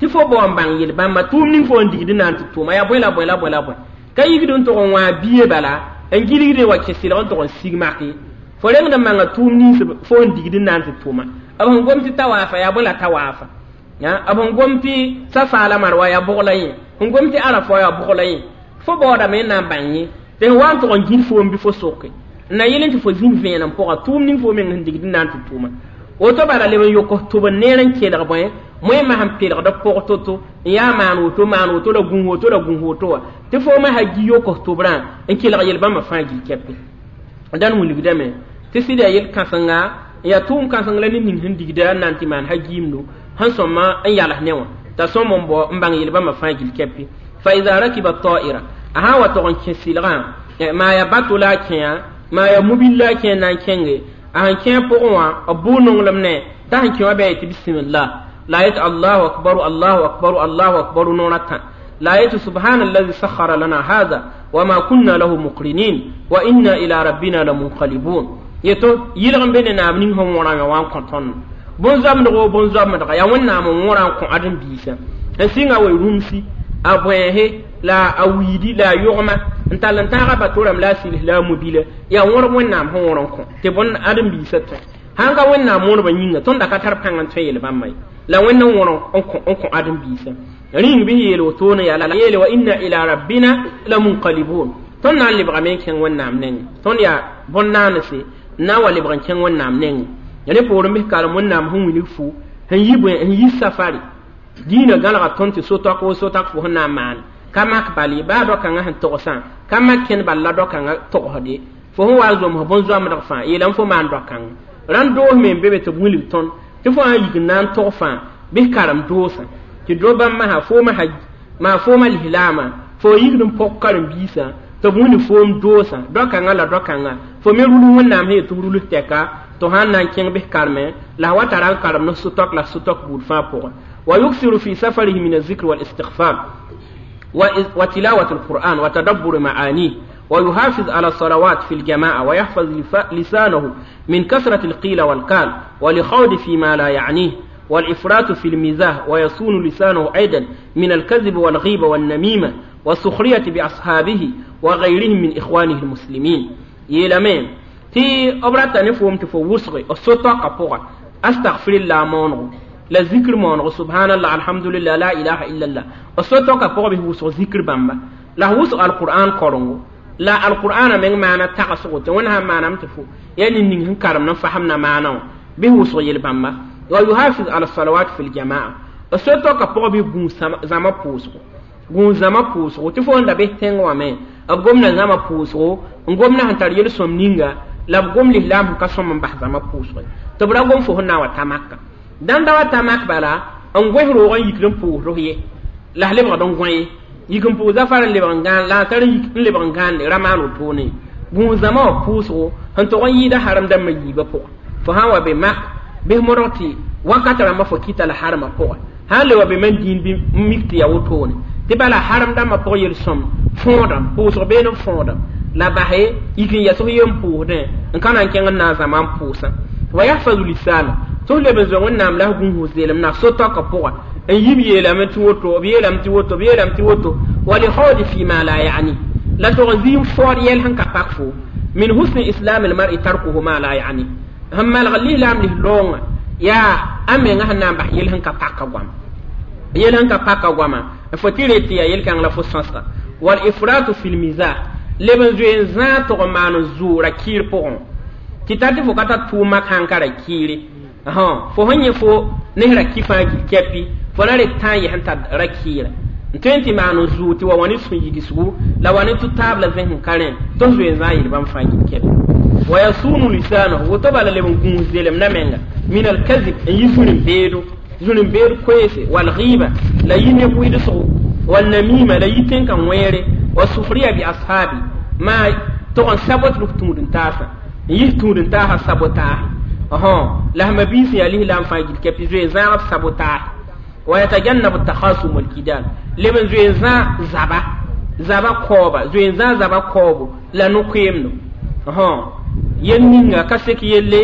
tɩ fo bao n bãng yel-bãmba tʋʋm ning fo n digd n na n tɩ tʋʋma yaa bõe la bõe la bõe la bõe ka yigd n tog n wã bie bala n gilgd wa kẽ sɩlg n tog n sig make fo rengd n manga tʋʋm nins fo n digd n na n tɩ tʋʋma b sẽn gom tɩ tawaafa yaa bõe la tawaafa b sẽn gom tɩ safa la marwa yaa bʋg la yẽ sẽn gom tɩ arafa yaa bʋg la yẽ fo baoodame n na n bãng yẽ tɩ sẽn wa n tog n gĩd foom bɩ fo soke n na yel n tɩ fo zĩnd vẽenem pʋga tʋʋm ning fo meng sẽn digd n na n tɩ tʋʋma woto bala leb n yok tʋb n neer n kelg bõe moẽmã sẽn pelgd pʋg to-to n yaa maan woto maan woto la gũus woto la gũus woto wã tɩ foomã ha gi yok tʋbrã n kelg yel-bãmbã fãa gil kɛpe dãn wilgdame tɩ sɩd yaa yel-kãsenga n yaa tʋʋm kãseng la ned ning sẽn digda n na n tɩ maan ha-giimdo sẽn sõma n yals ne wã t'a sõm n bao n bãng yel-bãmbã fãa gil kɛpe fa ida rakiba ta'ira a sã n wa tog n kẽ sɩlgã maa yaa bato la a kẽa maa yaa mobil la a kẽ n na n kẽnge a sẽn kẽ pʋgẽ wã b bʋʋ nonglem ne t'a sẽn kẽ wã bɩ a yetɩ bisimillah la a yetɩ allahu akbaru allahu akbaru allahu akbaru noor a tã la a yetɩ subhana allazi sakhara lana hada wama kunna lahu muqrinin wa inna ila rabbina lamunqalibun yeto yɩlg n be ne naam ning sẽn wõrame wã n kõ tõnd bõn-zoamdg o bõn-zoamdga yaa wẽnnaam n wõra n kõ ãdem-biisã n sɩnga wa rũmsi a bõense la a wiidi la a yogma n tall n tãaga bato rãmb la a sɩls la a mobila yaa wõrb wẽnnaam sẽn wõr n kõ tɩ bõn ãdem-biisã tõe sãn ka wẽnnaam wõrbã yĩnga tõnd da ka tar pãng n tõe yel-bãmba ye la wẽnd n wõr n kõ ãdem-biisã rĩng bɩ yeel wotone yaa la yeele wa inna ila rabbina lamunqalibun tõnd na n lebgame n kẽng wẽnnaam nengẽ tõnd yaa bõn-naanese n na n wa lebg n kẽng wẽnnaam nengẽ Ya ne poorẽ bɩ karem wẽnnaam sẽn wilg fo sẽn yi bõe sẽn yi safari dĩinã gãlga tõnd tɩ so-taok wo so-tak fo sẽn na n maane ka mak bal ye baa dao-kãngã sẽn togsã ka mak kẽnd bal la dao-kãngã togsde fo sẽn wa n zoms bõn-zoamdg fãa yeelame fo maan dao-kãngã rãnd doos me n be be tɩ b wilg tõnd tɩ fo sã n yik n na n tog fãa bɩ karem doosã tɩ do bãmb masã foomã maa foomã lislaamã fo yikd n pɔg karen-biisã tɩ b wilg foom doosã dao-kãngã la dao-kãngã fo me rulg wẽnnaam sẽn yet tɩ b rulg tɛka tɩ sãn na n kẽng bɩ karmẽ la a wa tara n karem ne sʋtɔk la sʋtɔk buud fãa pʋgẽ wa yuksiru fi safarihi min azikr walistighfar وتلاوة القرآن وتدبر معانيه ويحافظ على الصلوات في الجماعة ويحفظ لسانه من كثرة القيل والقال والخوض فيما لا يعنيه والإفراط في المزاح ويصون لسانه أيضا من الكذب والغيبة والنميمة والسخرية بأصحابه وغيرهم من إخوانه المسلمين يلمين تي أبرات نفهم تفوسغي السطاق قبوغة أستغفر الله مونغو لا ذكر مونغو سبحان الله الحمد لله لا إله إلا الله السطاق قبوغة به ذكر بامبا لا وسغ القرآن قرنغو لا القرآن من معنى تقصغو تونها معنى متفو يعني نين كرم نفهمنا معنى به وسغ يلبامبا ويحافظ على الصلوات في الجماعة السطاق قبوغة به زما بوسغو gũus zãma pʋʋsgo tɩ fo n da bɩ tẽng wã me b gomda zãma pʋʋsgo n gomda sẽn tar yel-sõm ninga la b gom lislaam sẽn ka sõm n bas zãma pʋʋsgo tɩ b ra gom fo sẽn na n wa ta maka dãn da wa ta mak bala n gõs roog n yikd n pʋʋsd ye la s lebgd n gõ ye yik n pʋʋs zafar n lebg n gãan la a tar n lebg n gãande ra maan wotone gũus zãma wã pʋʋsgo sẽn tog n yɩɩda harem dãmbã yiibã pʋgẽ fo sã n wa be mak bɩs modg tɩ wakat rãmbã fo kɩta la harmã pʋgẽ sã n le wa be man dĩin bɩ n mik tɩ yaa wotone tɩ bala harem dãmbã pʋg yel-sõm fõodame pʋʋsg been n fõodame la base yik n yɛs f yen pʋʋsdẽ n ka na n kẽng n na n zãma n pʋʋsã wa yahfazu lisana tɩ f leb n zoe wẽnnaam la f gũus zeelem na so-taokã pʋga n yib yeelame tɩ woto b yeelame tɩ woto b yeelame tɩ woto wa lihawdi fima la yani la tog n zĩ n faood yɛl sẽn ka pak fo min husni islam almar'i tarkuhu ma la yani sẽn malg lislaam lis-loongã yaa a menga sẽn na n bas yel sẽn ka paka goama yel sẽn ka paka goama fo tɩ ret tɩ yaa yel-kãng la fo sõsga wal ifratu fi lmizah leb n zoe n zãag tʋg n maan zʋʋra kiir pʋgẽ tɩ ta tɩ fo ka tar tʋʋm mak sãn ka ra kiire fo sẽn yẽ fo nes ra ki fãa gil kɛpi fo na ret tã n yɛs n tar ra kiira n tõe n tɩ maan n zʋʋg tɩ wa wa ne sũ-yigsgo la wa ne tʋ-taab la zẽs n ka rẽ tɩ f zoe n zãag yel bãmb fãa gil kɛpi wa yasunu lisanahu woto bala leb n gũus zelem na menga min alkazib n yi zũrin-beedo zũrin-beed koeese walghiba la yi neb wɩdsgo walnamima la yi tẽn-kã wẽere wa sufriya bi ashabi maa tog n sabot rf tũud-n-taasã n yis tũud-n-taasã sabotaase la sẽn mabiis yaa lislaam fãa gil kɛpɩ zoe zãag b sabotaase wa yatajannabu takhasum walkidal leb n zoe zã zaba zaba kaooba zoe n zã zaba kaoobo la no-koeemdo yel ninga ka sek yelle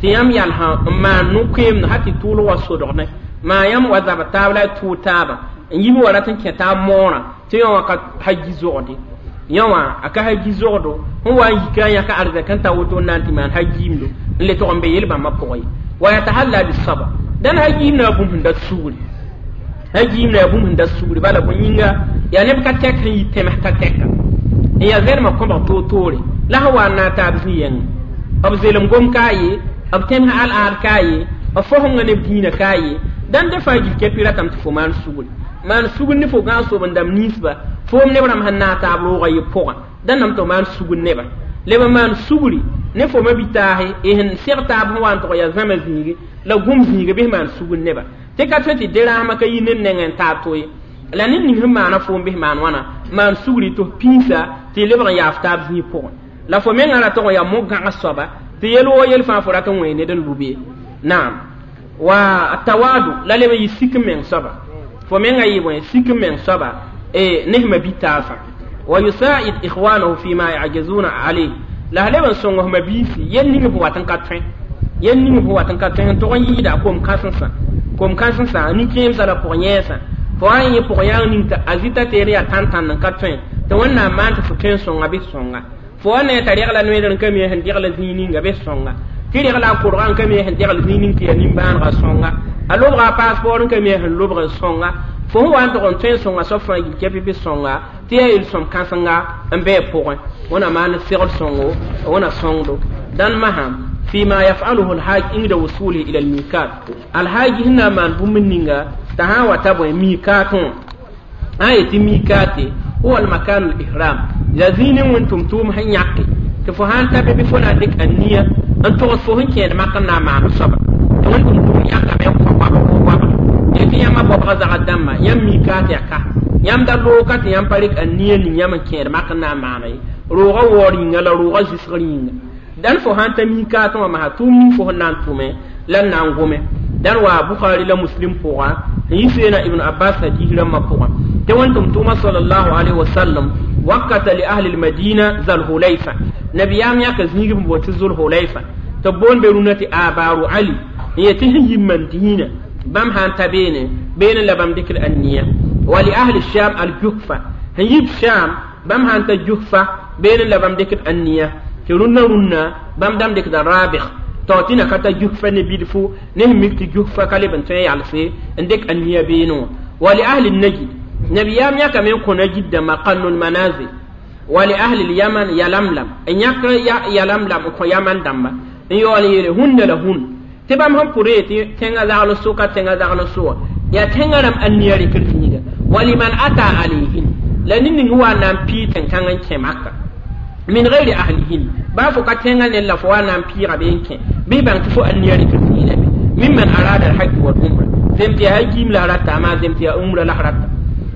tɩ yãmb yalsã n maan no-koeemdo ha tɩ tʋʋlg wa sodgdẽ maa yãmb wa zab taab la y tʋʋg taaba n yib wa rat n kẽ taab moorã tɩ yõ wã ka haji zogde yõ wã a ka haji zogdo sẽn wa n yika n yãka arzɛk n ta woto n na n tɩ maan hajiimdo n le tog n be yel-bãmbã pʋgẽ ye wa yatahalla bisabr dãn hajiim na bũmb sẽn dat sugri hajiim na bũmb sẽn dat sugri bala bõe yĩnga yaa neb ka tɛk sẽn yi tẽms ka tɛka n yaa zɛrmã kõbg toor-toore la sẽn wa n na n taab zĩ-yɛngẽ b zelem gom ka ye b tẽms al-aad ka ye b fosengã neb dĩinã ka ye dãn de fãa gil kɛpɩ ratame tɩ fo maan sugri maan sugr ne fo gãag sob n dãmb ninsba foom neb rãmb sẽn naag taab roogã ye pʋgã dãn tɩ maan sugr neba leb n maan sugri ne fo ma-bi-taase y sẽn seg taab sẽn wa n tʋg yaa zãma zĩigi la gũm zĩiga bɩ maan sugr neba tɩ ka tõe tɩ de-rãasmã ka yi ned nengẽ n taab to ye la ned ning sẽn maana foom bɩ maan wãna maan sugri tɩ f pĩisa tɩ y lebg n yaaf taab zĩig pʋgẽ la fo mengã ra tog n yaa mo-gãgs soaba tɩ yel woo yel fãa fo rat n wẽ ned n lub ye naam wa tawadu la leb n yɩ sik n meng soaba fo menga yɩ bõe sik n meng soaba ne sẽma bi-taasã wa yusaid ikhwanahu fima yajizuna alayh la leb n sõng f mabiisi yel ning f wat n ka tõe yel ning f wat n ka tõe n tog n yɩɩda kom-kãsensã nin-kẽemsã la pʋg-yẽesã fo wa n yẽ pʋg-yãang ning tɩ a zita teer yaa tãn-tãnd n ka tõe tɩ wẽnnaam maan tɩ fo tõe n sõnga bɩ sõnga fo wa ne t'a regla noeedr n ka mi sẽn degl zĩig ninga bɩ sõnga tɩ regla a korga n ka mi sẽn degl zĩig ning tɩ yaa nimbãanega sõnga a lobga a passeport n ka mi sẽn lobg n sõnga fo sẽn wa n tog n tõe n sõnga soab fãa yil kɛpɩ bɩ sõnga tɩ yaa yel-sõm kãsenga n bɩ pʋgẽ wẽna maan segl sõngo wẽna sõngdo dãn masã فيما يفعله الحاج عند وصوله إلى الميقات الحاج هنا من بومنينغا تها وتبو ميقات آية ميقات هو المكان الإحرام لذين وانتم توم هنياكي تفهان تبي بفنا ديك النية أن تغصوهن كين ما كنا مع الصبر وانتم توم ياكا بيوم tɩ yãmba bɔbga zagã dãmba yãmb mikaat yaa ka yãmb da looka tɩ yãmb pa rɩk a nia ning yãmb n kẽed mak n na n maana ye roogã waoor yĩnga la roogã zɩsgr yĩnga dãn fo sãn ta mikaatẽ wã masã tʋʋm ning fo sẽn na n tʋme la n na n gome dãn waa Bukhari la Muslim pʋga n yi seena Ibn Abbas hadis rãmbã pʋgã tɩ wẽn-tʋm tʋʋma sallallahu alaihi wasallam wakata li ahli lmadina Zalhulayfa nabiyaam yãka zĩig b boon tɩ Zulhulayfa tɩ b boond be rũnã tɩ Abaru Ali n yetɩ sẽn yi Madina bam han ta bene bene la bam dikr anniya wa li ahli sham al juhfa hin sham bam han ta juhfa bene la bam dikr anniya tirunna runna bam dam dikr rabikh to tina kata juhfa ne bidfu ne mikti juhfa kale ban tan yalse ndik anniya beno wa li ahli najd nabiyam yaka men ko najd da maqannul manazil wa li ahli al yaman yalamlam en yaka yalamlam ko yaman damba en yol yele hunna la hun tɩ bãmb sẽn pʋr yetɩ tẽngã zagl sʋka tẽngã zagl sʋa yaa tẽngã rãmb ãnniya rɩkr zĩiga waliman ata alayhin la ned ning wa na n pii tẽn-kãng n kẽ maka min ghairi ahlihin baa fo ka tẽngã ned la fo wa na n pɩɩga bee n kẽ bɩ bãng tɩ fo ãnniya rɩkr zĩigame mimman arada alhajj wal umra zem tɩ yaa hajiim la rata amaa zem tɩ yaa umra la rata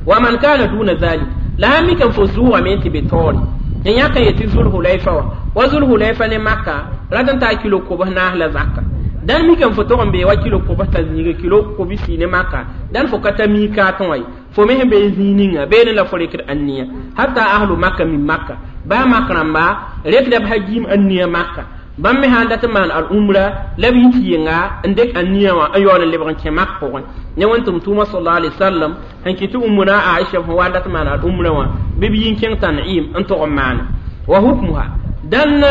wa man kana duna zalik la sãn mik n fo zʋʋgame tɩ be taoore n yãk n yetɩ Zulhulayfa wã wa Zulhulayfa ne maka rat n taa kilo kobs naas la zaka dan mi kan fo tɔg n bee wa kilo kobs t'a zĩiga kilo kobsi ne maka dan fo ka ta miikaatẽ wã ye fo me sẽn bee zĩig ninga beene la fo rɩkd ãnniya hatta ahlu maka min maka baa mak rãmba rɩkda b hajiim ãnniya maka bãmb me sãn dat n maan al umra la b yit yɩnga n dɩk ãnniya wã n yaool n lebg n kẽ mak pʋgẽ ne wẽn-tʋm tʋʋma sallallahu alaihi wasallam sẽn kɩt tɩ ummuna Aisha sẽn wa dat n maan al umra wã bɩ b yi n kẽng Tan'im n tog n maane wa hukmuha dãn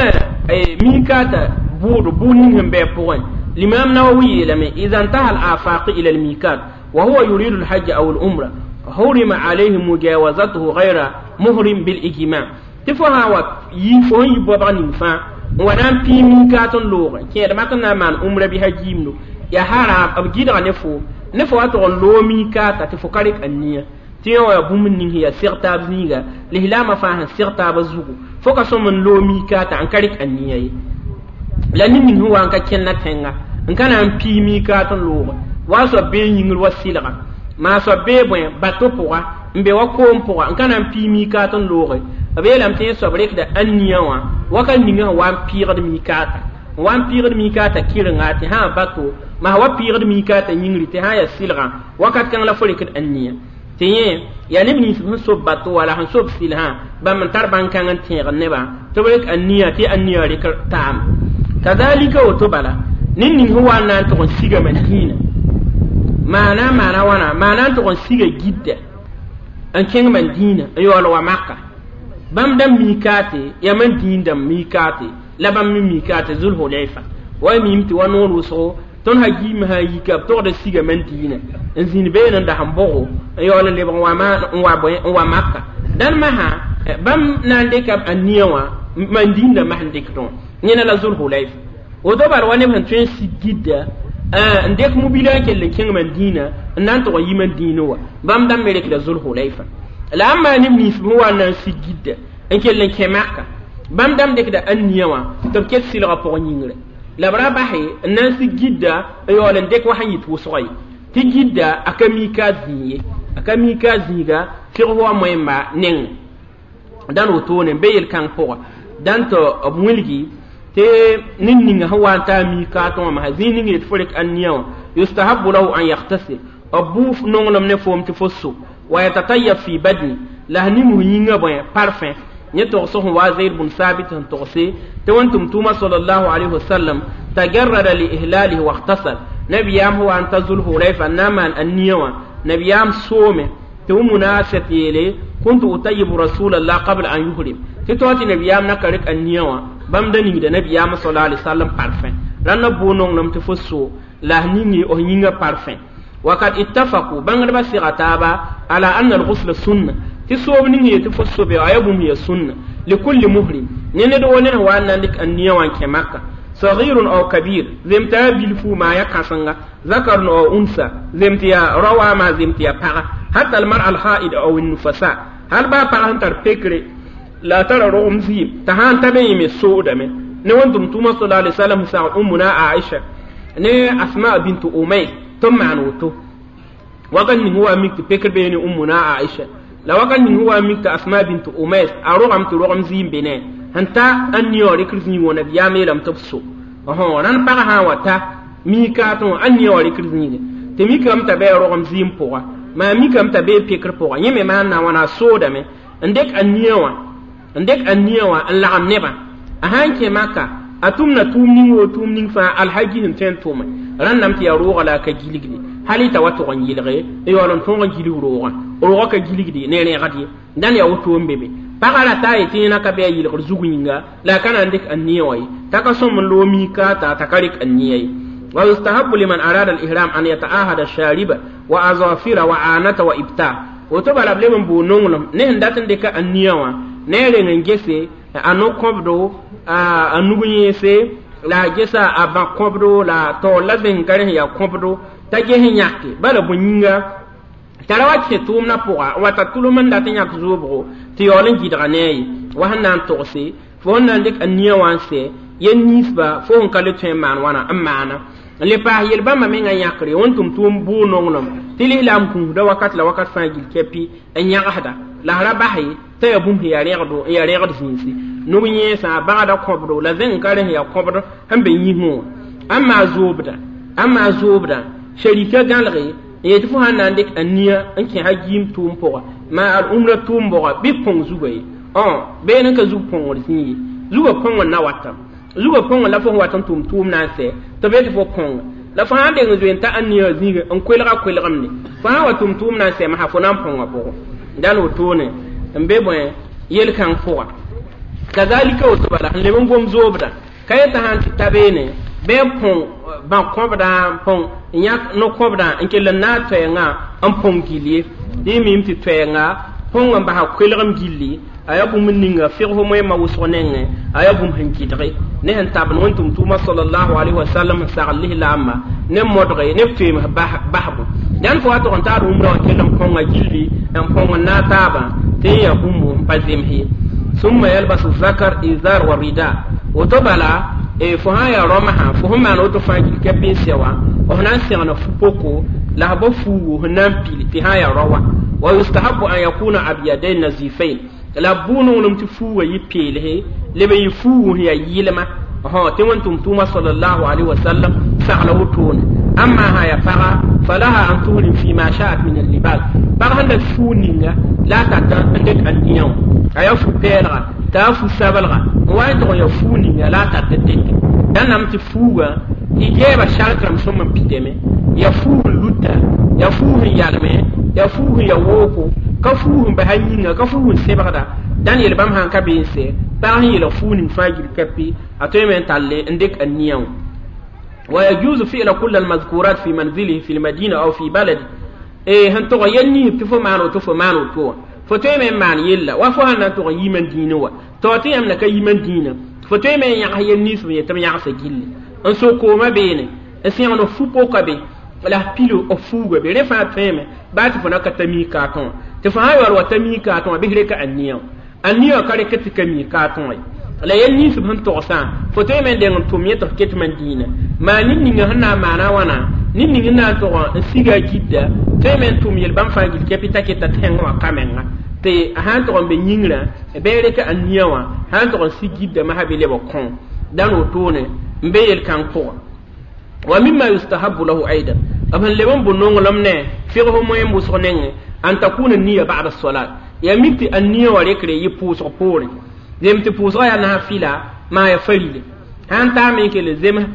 miikaata bʋʋd bʋʋd ning sẽn bɩ a pʋgẽ الإمام نووي لما إذا انتهى الآفاق إلى الميقات وهو يريد الحج أو العمرة حرم عليه مجاوزته غير مهرم بالإجماع تفها ويفون يبغى نفا ونام في ميقات لوغ كي ما كنا مان عمرة بها جيمنو يا حرام أبجيد نفو نفو أتغن لو ميقات تفكرك النية تيو يا بومن هي سيرتاب زيغا لهلاما فاهن سيرتاب زوغو فوكا سومن لو ميقات عن كريك النية la ned ning sẽn wa n ka kẽnna tẽnga n ka na n pii miikaat n looge wa soab bee yĩngr wa sɩlga maa soab bee bõe bato pʋga n be wa koom pʋga n ka na n pii miikaat n looge b yeelame tɩ yẽ soab rɩkda ãnniya wã wakat ninga sẽn wa n pɩɩgd miikaata n wa n pɩɩgd miikaata kɩrenga tɩ sã bato maa wa pɩɩgd miikaata yĩngri tɩ sã yaa sɩlgã wakat kãng la fo rɩkd ãnniya tɩ yẽ yaa neb nins sẽn sob bato wala sẽn sob sɩlsã bãmb n tar bãn-kãng n tẽegd nebã tɩ b rɩk ãnniya tɩ ãnniya rɩk taam kazalika woto bala ned ning sẽn wa n na n tʋg n siga Madina maana maana wãna maana n tʋg n siga Gidda n kẽng Madina n yaool wa Maka bãmb dãmb miikaate yaa Madin dãmb miikaate la bãmb me miikaate Zulhulayfa wa miime tɩ wa noor wʋsgo tõnd hajiim sã n yika b togda siga Madina n zĩnd beene n das n bʋgo n yaool n lebg n wa Maka dãn masã bãmb na n dɩka b ãnniya wã Madin dãmbã sẽn dɩkdẽ wã yẽna la Zulhulayfa woto bala wa neb sẽn tõe n sig Gidda n dɩk mobila n kell n kẽng Madina n na n tʋg n yi Madina wã bãmb dãmb me rɩkda Zulhulayfa la a maan neb nins sẽn wa n na n sig Gidda n kell n kẽ Maka bãmb dãmb dɩkda ãnniya wã tɩ b ket sɩlgã pʋgẽ yĩngre la b ra base n na n sig Gidda n yaool n dɩk wa sẽn yit wʋsga ye tɩ Gidda a ka miikaat zĩig ye a ka miikaat zĩiga fɩg wa moẽmba neng dãn wotone n be yel-kãng pʋga dãn tɩ b wilgi tɩ ned ninga sẽn wa n taa miikaatẽ wã masã zĩig ning yet fo rɩk ãnniya wã yustahabu lahu an yaghtasil b bʋ nonglem ne foom tɩ fo so wa yatatayyab fi badni la s ning yĩngã bõe parfum yẽ togs sẽn wa Zayd bn Sabit sẽn togse tɩ wẽn-tʋm tʋʋma sallallahu alayhi wasallam tajarrada li ihlalihi waghtasal nabiyaam sẽn wa n ta Zulhulayfa n na n maan ãnniya wã nabiyaam soome tɩ munasat yeele kuntu utayibu rasulallah qabla an yuhrim tɩ tao tɩ nabiyaam na ka rɩk ãnniya wã bãmb da ningda nabiyaam sallallahu alaihi wasallam parfum rãnda bʋ nonglem tɩ fo so la s ningi f yĩngã parfum wakad ittafaqu bãngdbã sega taaba ala anna alghusla sunna tɩ soob ning yetɩ fo sobe a yaa bũmb ya sunna likulli muhrim ne ned wo ned wa n na n dɩk ãnniya wã n kẽ maka صغير أو كبير زمتا بلفو ما يكاسنغا ذكر أو أنثى زمتيا روا ما زمتيا بغا حتى المرأة الحائض أو النفساء هل با بغا تر بكري لا ترى رغم زيم تهان تبين من السودة نوانتم توما صلى الله عليه وسلم ساعة أمنا عائشة ne Asma bint Umayr tɩ maan woto wakat ning wa mik tɩ pekr bee ne Ummuna Aisha la wakat ning wa mik tɩ Asma bint Umayr a rogame tɩ rogem zɩɩm be ne sẽn ta n nia wã rɩkr zĩig wã nabiyaam yeelame tɩ b so rãnd pagã sã n wa ta miikaatẽ wã ãn nia wã rɩkr zĩige tɩ mikame t'a bɩ a rogem zɩɩm pʋga maa mikame t'a bee pekr pʋga yẽ me maan na wãna a soodame n dɩk a nia wã n dɩk a nia wã n lagem nebã a sãn kẽ maka a tʋmna tʋʋm ning woo tʋʋm ning fãa alhaji sẽn tõe n tʋme rãndame tɩ yaa roogã la a ka gilgde hal y t'a wa tʋg n yɩlge n yaool n tõog n gilg roogã roogã ka gilgde ne rẽgd ye dãn yaa woto n be be pagã ra taa yetɩ yẽna ka bɩ a yɩlgr zug yĩnga la a ka na n dɩk a nia wã ye t'a ka sõm n loog miikaata t'a ka rɩk a nia ye ويستحب لمن أراد الإحرام أن يتعاهد الشارب وأظافر وعانة وإبتاع woto bala b leb n bʋʋ nonglem ne sẽn dat n dɩka a nia wã ne a reng n gese a no-kõbdo a nug yẽese la a gesa a bã kõbdo la taoor la zẽng ka rẽ sẽn yaa kõbdo t'a ges n yãke bala bõe yĩnga t'a ra wa kẽ tʋʋmdã pʋga n wa ta tʋlem n dat n yãk zoobgo tɩ yaool n gɩdga ne a ye wa sẽn na n togse fo sẽn na n dɩk a nia wã n sɛ yel ninsba fo sẽn ka le tõe n maan wãna n maana n le paas yel-bãmba mengã yãkre wẽn-tʋm tʋʋm bʋʋ nonglem tɩ lislaam kũusda wakat la wakat fãa gil kɛpɩ n yãgsda la ra bas ye t'a yaa bũmb sẽn yaa rẽgdo n yaa rẽgd zĩisi nug yẽesã a bagda kõbdo la zẽng ka rẽ sẽn yaa kõbd sẽn be yĩsẽ wã ãn maa zoobdã sharika gãlge n yetɩ fo sãn na n dɩk a nia n kẽ hajiim tʋʋm pʋga maa al-umra tʋʋm bʋga bɩ põng zuga ye been n ka zug põngr zĩ ye zugã põng n na watame zugã põng la fo sẽn wat n tʋm tʋʋm na n sɛ tɩ be tɩ fo põnga la fo sãn deng n zoe n ta a nia zĩige n koelga koelgemde fo sãn wa tʋm tʋʋm na n sɛ masã fo na n põnga pʋgẽ dãn wotone n be bõe yel-kãng pʋga kazalika woto bala sẽn leb n gom zoobda ka yetã sãn tɩ ta beene bɩ n põng bã kõbdã n põng n yãk no-kõbdã n kell n naag toɛɛngã n põng gill ye tɩ y mim tɩ toɛɛnga põng n basa koelgem gilli a yaa bũmb ninga fɩgsf moẽmã wʋsg nengẽ a yaa bũmb sẽn gɩdge ne sẽn tabend wẽn-tʋm tʋʋma sallallahu alaihi wasallam n sagl lislaambã ne modge ne b toeems basbo dãn fo wa tʋg n taad wũmrã wã kell n põnga gilli n põng n naag taabã tɩ n yaa bũmb n pa zems ye summa yalbasu zakar izar wa rida woto bala fo sã n yaa rõmsã fo sẽn maan woto fãa gil kɛp n sɛ wã f na n segna fu-poko la f ba fuugo sẽn na n pil tɩ sã n yaa rao wã wa yustahabu an yakuna abyadain nazifain la bʋ nonglem tɩ fuugã yɩ peelse leb n yɩ fuugu sẽn yaa yɩlma tɩ wẽn-tʋm tʋʋma sallallahu alaihi wasallam sagla wotone amma sã yaa paga falaha an tuhrim fi ma sha'at min al-libas pag sẽn dat fuug ninga la a tata n dɩk a nia wã a yaa fu-pɛɛlga t'a yaa fu-sablga n wa n tʋg n yaa fuug ninga la a tat n dɩke dãnam tɩ fuugã y gɛɛba sark rãmb sõm n pidame yaa fuug n luta yaa fuug n yalme yaa fuug n yaa wooko ka fuug n basa yĩnga ka fuug n sebgda dãn yel-bãmb sãn ka be n sɛ pag sẽn yeelg fuug ning fãa gil kapi a tõeme n talle n dɩk a nia wã ويجوز فعل كل المذكورات في منزله في المدينة أو في بلده sẽn tʋg yel ninsb tɩ fo maan woto fo maan woto wã fo tõeme n maan yella wa fo sãn na n tʋg n yi man dĩinã wa tao tɩ yãmb na ka yi man dĩinã fo tõeme n yãgs yel ninsb n yet tɩ b yãgsa gilli n so koomã beene n sẽgd fu-poka be la f pil f fuuga be rẽ fãa tõeme baa tɩ fo na ka ta miikaatẽ wã tɩ fo sã n yaool wa ta miikaatẽ wã bɩ f reka a nia wã a nia wã ka rek tɩ ka miikaatẽ wã ye la yel ninsb sẽn togsã fo tõeme n deng n tʋm yẽ tɩ f ket man dĩinã maa ned ninga sẽn na n maana wãna ned ning n na n tʋg n siga a gidda tõeme n tʋm yel-bãmb fãa gil kɛpɩ t'a keta tẽng wã ka menga tɩ sã n tʋg n be yĩngrã bɩ reka a nia wã sã n tʋg n sig gidda masã bɩ leb kõ dãn wotone n be yel-kãng pʋgã wa mimma yustahabu lahu aidan b sẽn leb n bʋ nonglem ne fɩgsf moẽm wʋsg nengẽ an takuna niya ba'da salat yaa mik tɩ a nia wã rekre yɩ pʋʋsg poorẽ zem tɩ pʋʋsgã yaa nasã fɩla maa ya farile sãn taame n kell zems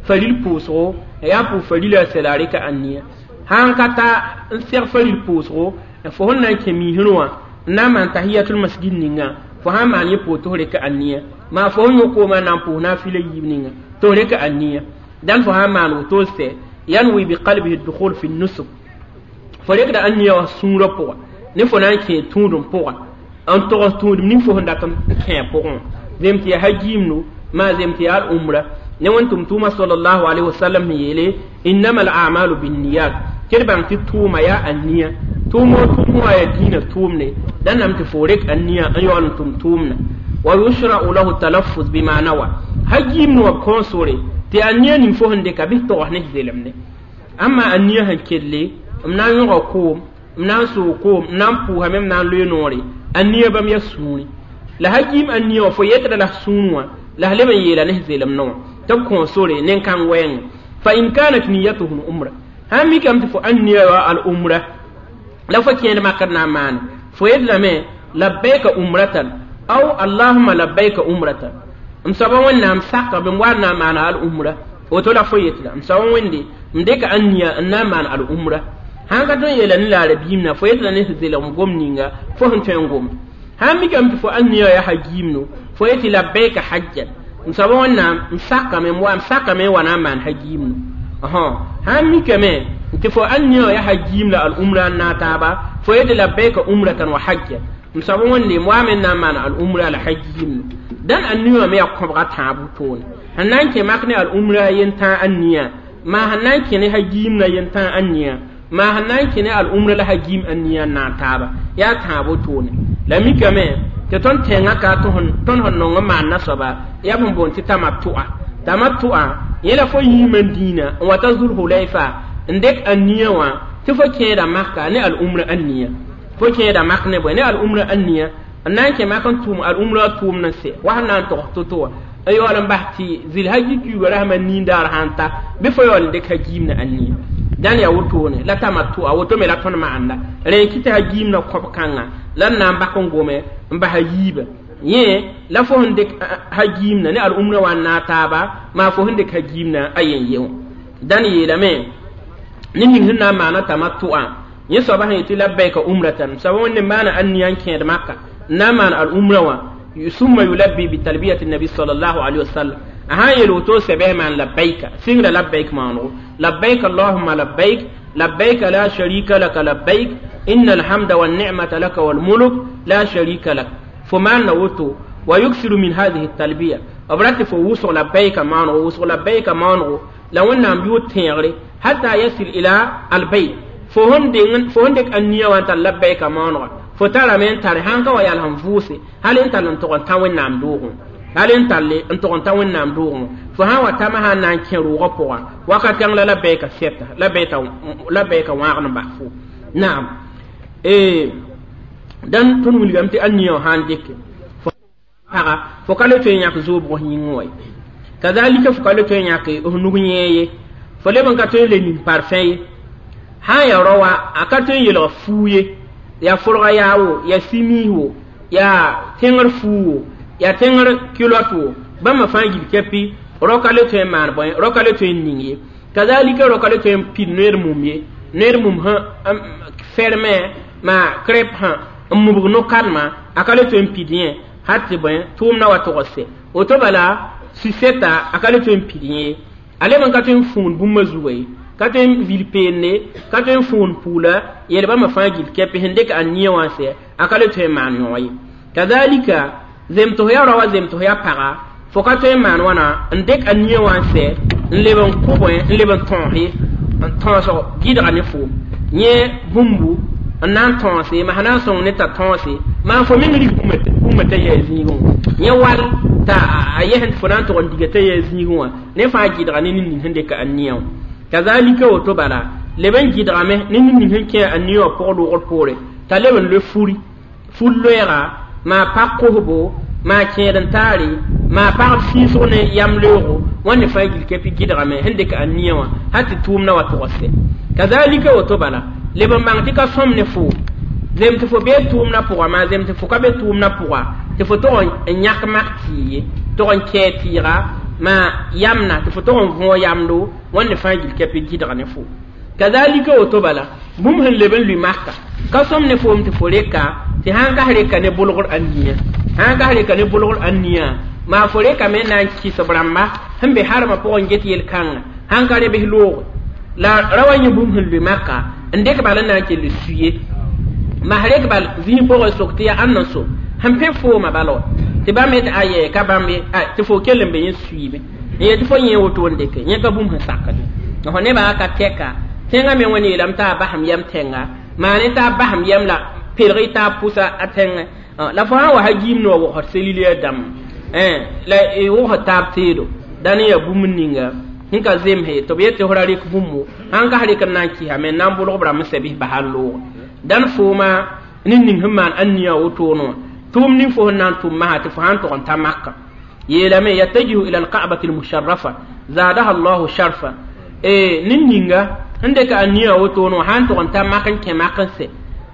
faril pʋʋsgo yaa pʋʋs farila sɛla reka a nia sãn ka ta n seg faril pʋʋsgo fo sẽn na n kẽ miisẽ wã n na n maan tahiyatul masjid ninga fo sãn maan yẽ pʋʋs tɩ f reka a nia maa fo sẽn yõ koomã na n pʋʋs naafɩla yiib ninga tɩ f reka a nia dãn fo sãn maan woto sɛ yanwi biqalbihi dukhul fi nusuk fo rekda a nia wã sũurã pʋga ne fo na n kẽ tũudem pʋga n togs tũudem ning fo sẽn dat n kẽ pʋgẽ wã zem tɩ yaa hajiimdo maa zem tɩ yaa al-umra Ne wẽn tʋm tʋʋma sallallahu alaihi wasallam yeele innama al-a'malu binniyat tɩ d bãng tɩ tʋʋma yaa a nia tʋʋm o tʋʋm wã yaa dĩinã tʋʋmne da nam tɩ fo rek a nia n yaool n tʋm tʋʋmna wa yushra'u lahu talaffuz bima nawa ha giimd wã b kõo sore tɩ a nia ning fo sẽn dɩka bɩ togs ne zelemde amma a nia sẽn kelle m na n yõga koom m na n soog koom m na n pʋʋsame m na n loe noore a nia bãmb yaa sũuri la ha giim a nia wã fo yetda la sũur wã la leb n yeela ne zelemdẽ wã tɩ b kõo sore nen-kãng wɛɛngẽ fa in kanat niyatuhu umra sãn mikame tɩ fo ãn nia wa al umra la fo kẽed makr na n maane fo yet lame labbaika umratan aw allahuma labbaika umratan m soaba wẽnnaam saka bɩ m wa n na n maana al umra woto la fo yetla m soaba wẽnde m dɩka ãn nia n na n maan al umra sãn ka tõe n yeela ne la rabiimna fo yetla ne sẽn zelg m gom ninga fo sẽn tõe n gom sãn mikame tɩ fo ãn nia yaa ha giimno fo yetɩ labbaika hajjan m soaba wẽnnaam m sakame m sakame n wa na n maan ha giimno sãn mikame tɩ fo ãn nia yaa ha giim la al umra n naag taaba fo yetɩ labbaika umratan wa hajjan m soaba wẽnde m waame n na n maan al umra la ha giimno dãn a nia me yaa kõbga tãab wotone sẽn na n kẽ mak ne al umra yentã a nia maa sẽn na n kẽ ne ha giimna yentã a nia maa sẽn na n kẽ ne al umra la ha giim a nia n naag taaba yaa tãab wotone la mikame tɩ tõnd tẽngã ka tõnd sẽn nong n maan nasoaba yaa b sẽn boond tɩ tamatʋ'a tamatʋ'a yẽ la fo yĩimã dĩinã n wa ta Zulhulayfa n dɩk a nia wã tɩ fo kẽeda maka ne al umra a nia fo kẽeda mak ne bõe ne al umra a nia n na n kẽ mak n tʋʋm al umra tʋʋmd n sɛ wa sẽn na n togs to-to wã n yaool n bas tɩ zil-haji kiuugã rasmã nindaar sãn ta bɩ fo yaool n dɩk ha-giimna a nia dãn yaa wotone la tamatʋ'a woto me la tõnd maanda rẽ n kɩ tɩ ha-giimna kõb-kãngã la n na n bak n gome n bas a yiibã yẽ la fo sẽn dɩk ha-giimna ne al umra wã n naag taaba maa fo sẽn dɩk ha-giimna a yen ye wã dãn yeelame ne ning sẽn na n maana tamatʋ'a yẽ soaba sẽn yetɩ labbaika umratan soaba wẽnde maana a nia n kẽed maka n na n maan al umra wã summa yulabbi bitalbiyati nabi sallallahu alaihi wasallam a sãn yel woto sɛbɛs maan labbaika sɩngra labbaik maanego labbaik allahumma labbaik labbaik la sharika laka labbaik inna alhamda wannicmata laka walmuluk la sharika lak fo maanna woto wa yuksiru min hadihi talbiya b rat tɩ fo wʋsg labbaika maanego wʋsg labbaika maanego la wẽnnaam yʋʋr tẽegre hatta yasil ila albayt fo sẽn dɩk a nia wã n tar labbaika maanega fo tarame n tare sãn ka wa yal sẽn vʋʋse hal n tall n tog n tã wẽnnaam doogẽ hal n talle n tog n ta wẽnnaam doogẽ fo sã n wa tama sã n na n kẽ roogã pʋga wakat kãng la labbaika sɛta labbaika wãag n bas fo naam dãn tõnd wilgame tɩ a nia wã sã n dɩke fo paga fo ka le tõe n yãk zoobg f yĩngẽ wa ye kazalika fo ka le tõe n yãk f nug yẽe ye fo leb n ka tõe n le ning parfẽ ye sã n yaa rao wã a ka tõe n yelg fuu ye yaa forga yaa wo yaa simiis wo yaa tẽngr fuu wo yaa tẽngr kilot wo bãmba fãa gil kɛpɩ rao ka le tõe n maan bõe rao ka le tõe n ning ye kazalika rao ka le tõe n pid noer mum ye noer mum sã fermɛ maa crêpe sã n mubg no-kãnema a ka le tõe n pid yẽ hal tɩ bõe tʋʋmdã wa tog sɛ woto bala sisɛta a ka le tõe n pid yẽ ye a leb n ka tõe n fũun bũmba zuga ye ka tõe n vil peende ka tõe n fũun puula yel bãmba fãa gil kɛpɩ sẽn dɩk a nia wã sɛ a ka le tõe n maan yõ ye kazalika zemtʋs yaa rao wa zemtʋs yaa paga fo ka tõe n maan wãna n dɩk a nia wã n sɛ n leb n kʋ bõe n leb n tõos n tõosg gɩdga ne foom yẽ bũmbu n na n tõose ma sã na n sõng ne t'a tõose maa fo meng rig bũmba t'a yaa zĩigẽ wã yẽ wall t'a a yɛsẽ tɩ fo na n tʋg n diga t'a yaa zĩigẽ wã ne fãa gɩdga ne nin-ning sẽn dɩka a nia wã kazalika woto bala leb n gɩdgame ne nin-ning sẽn kẽ a nia wã pʋg loogr poore t'a leb n loe furi fur loɛɛga maa pag kosbo maa kẽed n taare maa pagb sĩisg ne yam leoogo wãnde fãa gil kɛpɩ gɩdgame sẽn dɩk a nia wã hal tɩ tʋʋmdã wa tʋg sɛ kazalika woto bala leb n bãng tɩ ka sõm ne fo zem tɩ fo bee tʋʋmdã pʋga maa zem tɩ fo ka be tʋʋmdã pʋga tɩ fo tog n yãk mak tɩɩ ye tog n kɛɛ tɩɩga maa yamna tɩ fo tog n võog yamdo wãnde fãa gil kɛpɩ gɩdg ne fo kazalika woto bala bũmb sẽn leb n lʋɩ maka ka sõm ne foom tɩ fo reka tɩ sãn kas reka ne bolgr a nia sãn kas reka ne bolgr a nia maa fo rekame n na n kɩs b rãmba sẽn be harmã pʋgẽ get yel-kãnga sãn ka rebs looge la ra wa yẽ bũmb sẽn lʋɩ maka n dɩk bal n na n kell suye mas rek bal zĩig pʋgẽ sok tɩ yaa ãnd n so sẽn pẽ foomã bala wa tɩ bãmb yetɩ ayɛ ka bãmb ye tɩ fo kell n be yẽ suiime N yetɩ fo yẽ woto n dɩke yẽ ka bũmb sẽn sakd fo nebã ka tɛka tẽngã me wẽnd yeelame t'a basem yɛm tẽnga maane t'a basem yɛm la pelg t'a pʋsa a tẽngẽ la fo sã n wa sa giim ne wa wogsd seliliya dãmb la wogsd taab teedo dãn n yaa bũmb ninga sẽn ka zemse tɩ b yet tɩ f ra rɩk bũmbo sãn kas rɩk n na n kɩsame n na n bʋlg b rãmb n sɛ bɩs basa n loog dãn fooma ned ning sẽn maan ãn-nia wotone wã tʋʋm ning fo sẽn na n tʋm masã tɩ fo sã n tog n ta maka yeelame yatajihu ila alka'bati almusharrafa zadaha allahu sharfa ned ninga sẽn dɩka a nia wotone wã sã n tog n ta mak n kẽ mak n sɛ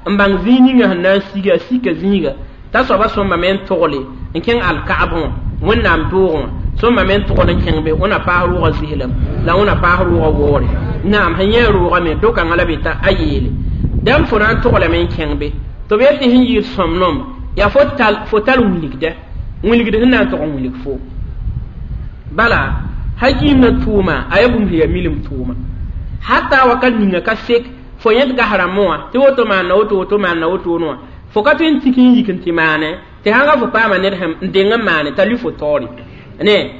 n bãng zĩig ninga sẽn na n siga a sika zĩiga t'a soaba sõmbame n togle n kẽng alka'b wã wẽnnaam doogẽ wã sõmbame n togl n kẽng be wẽna paas rʋʋgã zɩslem la wẽna paas rʋʋgã waoore naam sẽn yẽ rʋʋgame do-kãngã la be t'a a yeele dãmb fo na n toglame n kẽng be tɩ b yet tɩ sẽn yɩɩd sõmnem yaa fo tar wilgda wilgd sẽn na n tog n wilg fo bala ha giimdã tʋʋma a yaa bũmb sẽn yaa milim tʋʋma hata wakat ninga ka sek fo yẽd gas rãmbẽ wã tɩ woto maanna woto woto maanna wotone wã fo ka tõe n tik n yik n tɩ maane tɩ sãn fo paama ned n deng n maane t'a lʋ fo taoore ne